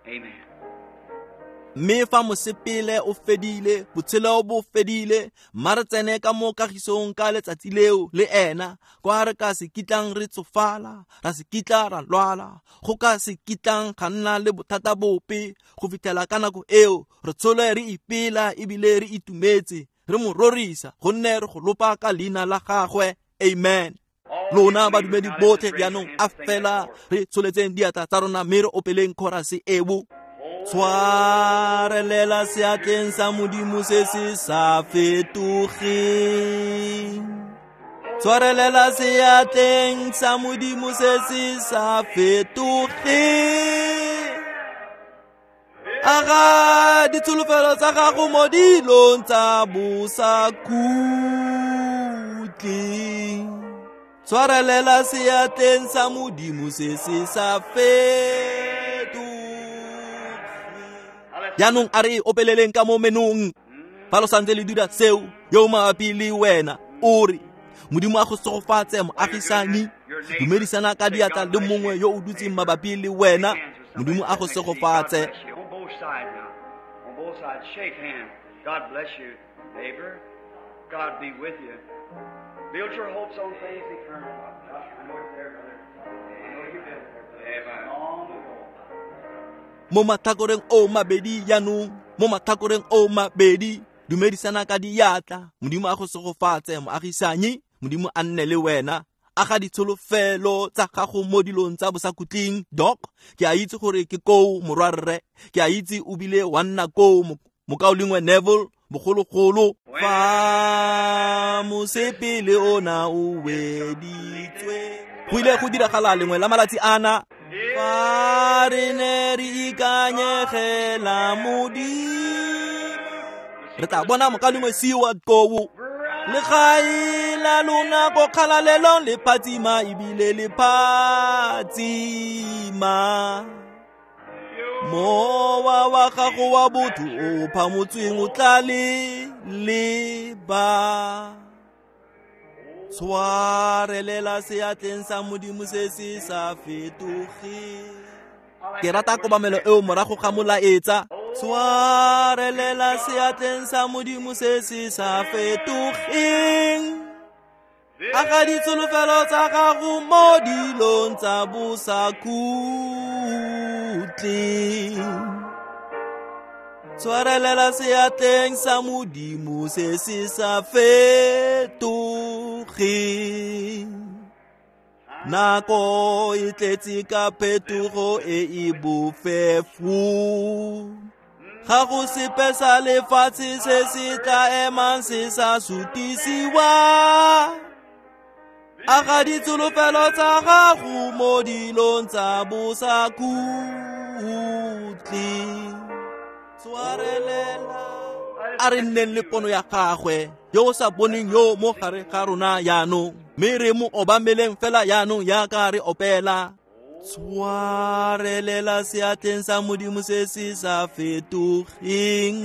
Amen. Mme fa mosepele o fedile, botshelo bo fedile, mma re tsene ka mo kagisong ka letsatsi leo le ena, kwa re ka se kitlang re tsofala, ra se kitla ra lwala, go ka se kitlang ga nna le bothata bope. Go fitlhela ka nako eo, re tshole re ipela ebile re itumetse, re mo rorisa, gonne re go lopa ka leina la gagwe. Amen. Lona badumedi botlhe jaanong a fela re tsholetseng diatla tsa rona mme re opeleng chorus eo. Tshwarelela seatleng sa Modimo se se sa fetogeng. Tshwarelela seatleng sa Modimo se se sa fetogeng. Aga ditsholofelo tsa gago mo dilong tsa bosakhutleng. Tshwarelela seatleng sa Modimo se se sa fetogeng. Jaanong a re opeleleng ka mo menong. Fa lo santse le dira seo, yo mabapi le wena o re, Modimo a go segofatse moagisani. Dumedisana ka diatla le mongwe yo o dutseng mabapi le wena. Modimo a go segofatse. On both sides now. On both sides, shake hands. God bless you, neighbor. God be with you. Build your hopes on things eternal. I know it's there, brother. I know you've been there, brother. Long ago. Mo matlhakoreng o mabedi jaanong, mo matlhakoreng o mabedi, dumedisana ka diatla. Modimo a go segofatse moagisanyi. Modimo a nne le wena. Aga ditsholofelo tsa gago mo dilong tsa bosakhutleng. Doc, ke a itse gore ke koo morwarre, ke a itse o bile wa nna koo mokaulengwe Neville bogologolo. Fa mosepele ona o weditswe, go ile go diragala lengwe la malatsi ana. Fa re ne re ikanyegela Modimo, re tla bona mokaulengwe Seward koo. Legae la lona ko kgalalelong le phatsima ebile le phatsima. Mowa wa gago wa botho o phamotsweng o tla le leba. Tshwarelela seatleng sa Modimo se se sa fetogeng. Ke rata kobamelo eo morago ga molaetsa. Tshwarelela seatleng sa Modimo se se sa fetogeng. Aga ditsholofelo tsa gago mo dilong tsa bosakhutleng. Tshwarelela seatleng sa Modimo se se sa fetogeng. Nako e tletse ka phetogo e e bofefo. Ga go sepe sa lefatshe se se tla emang se sa sutisiwa. Aga ditsholofelo tsa gago mo dilong tsa bosakhutleng. Tshwarelela. A re nneng le pono ya gagwe yo o sa boneng yo mo gare ga rona jaanong, mme re mo obameleng fela jaanong jaaka re opela. Tshwarelela seatleng sa Modimo se se sa fetogeng.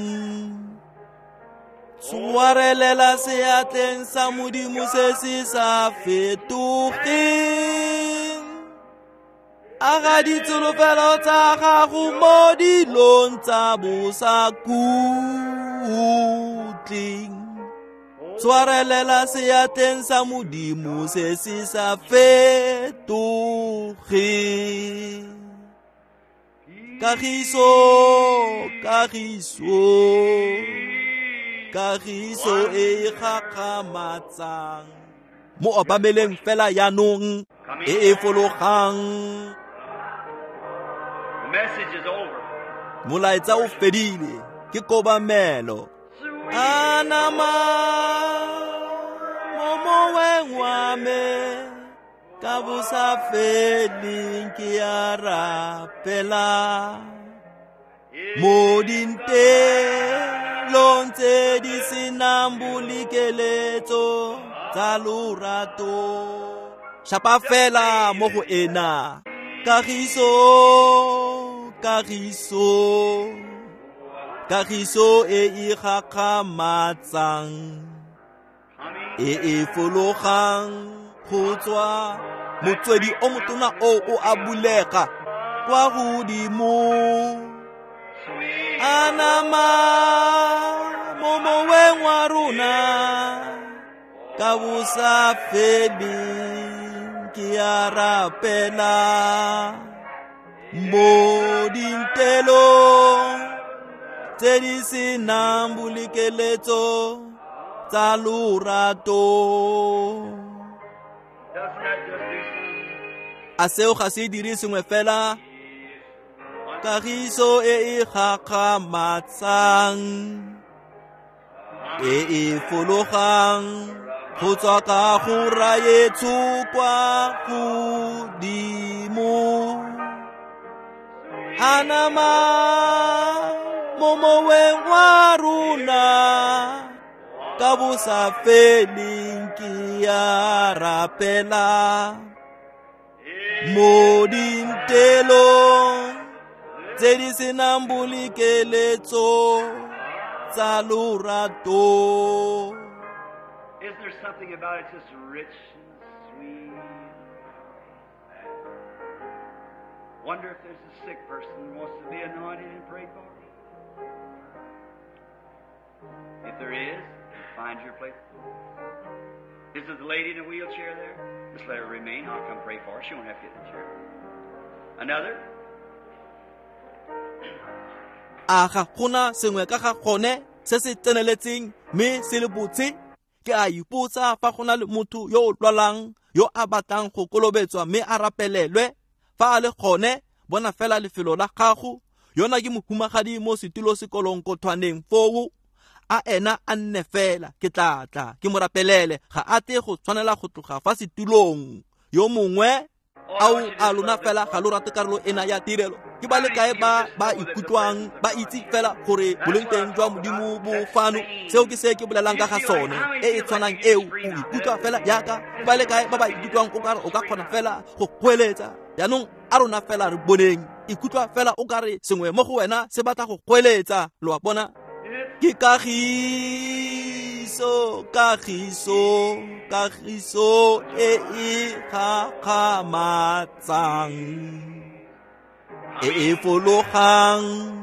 Tshwarelela seatleng sa Modimo se se sa fetogeng. Aga ditsholofelo tsa gago mo dilong tsa bosakhutleng. Tshwarelela seatleng sa Modimo se se sa fetogeng. Kagiso, kagiso, kagiso e gakgamatsang. Mo obameleng fela jaanong e e fologang. Molaetsa o fedile, ke kobamelo. Anama mo moweng wa me ka bosa feleng ke a rapela. Mo dintelong tse di senang bolekeletso tsa lorato. Shapa fela mo go ena. Kagiso, kagiso, kagiso e e gakgamatsang, e e fologang go tswa motswedi o motona o o a bulega kwa godimo. Anama mo moweng wa rona ka bosa feleng ke a rapela. Mo dintelong tse di senang bolekeletso tsa lorato. A seo ga se dire sengwe fela? Kagiso e e gakgamatsang, e e fologang go tswa ka go raetsho kwa godimo. Anama mo moweng wa rona ka bosa feleng ke a rapela. Mo dintelong tse di senang bolekeletso tsa lorato. Isn't there something about it just rich and sweet? Wonder if there's a sick person who wants to be anointed and prayed for. If there is, find your place. Is there the lady in the wheelchair there? Just let her remain. I'll come pray for her. She won't have to get in the chair. Another? A ga gona sengwe ka ga gone se se tseneletseng mme se le botse? Ke a ipotsa fa go na le motho yo o lwalang yo a batlang go kolobetswa mme a rapelelwe. Fa a le gone, bona fela lefelo la gago. Yona ke mohumagadi mo setulo sekolonkothwaneng foo. A ena a nne fela, ke tla tla ke mo rapelele. Ga a tle go tshwanela go tloga fa setulong. Yo mongwe ao a lona fela ga lo rate karolo ena ya tirelo. Ke ba le kae ba ba ikutlwang ba itse fela gore boleng teng jwa Modimo bo fano? Seo ke se ke bolelang ka ga sone, e e tshwanang eo. O ikutlwa fela jaaka ba le kae ba ba ikutlwang o kare o ka kgona fela go goeletsa. Jaanong a rona fela re boneng, ikutlwa fela o kare sengwe mo go wena se batla go goeletsa. Lo a bona? Ke kagiso, kagiso, kagiso e e gakgamatsang, e e fologang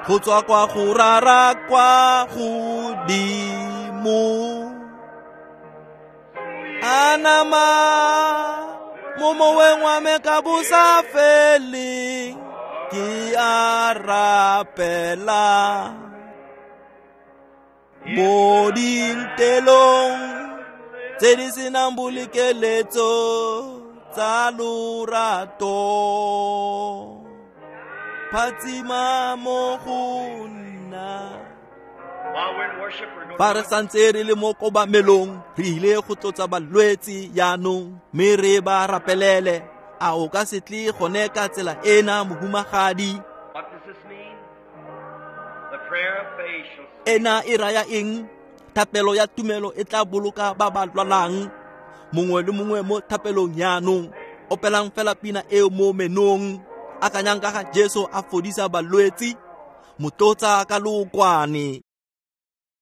go tswa kwa go rara kwa godimo. Anama mo moweng wa me ka bosa feleng ke a rapela. Mo dintelong tse di senang bolekeletso tsa lorato. Phatsima mo go nna. Fa re santse re le mo kobamelong, re ile go tlotsa balwetse jaanong mme re ba rapelele. A o ka se tle gone ka tsela ena, mohumagadi? Ena e raya eng? Thapelo ya tumelo e tla boloka ba ba lwalang. Mongwe le mongwe mo thapelong jaanong, opelang fela pina eo mo menong. Akanyang ka ga Jesu a fodisa balwetsi, motlotsa ka lookwane.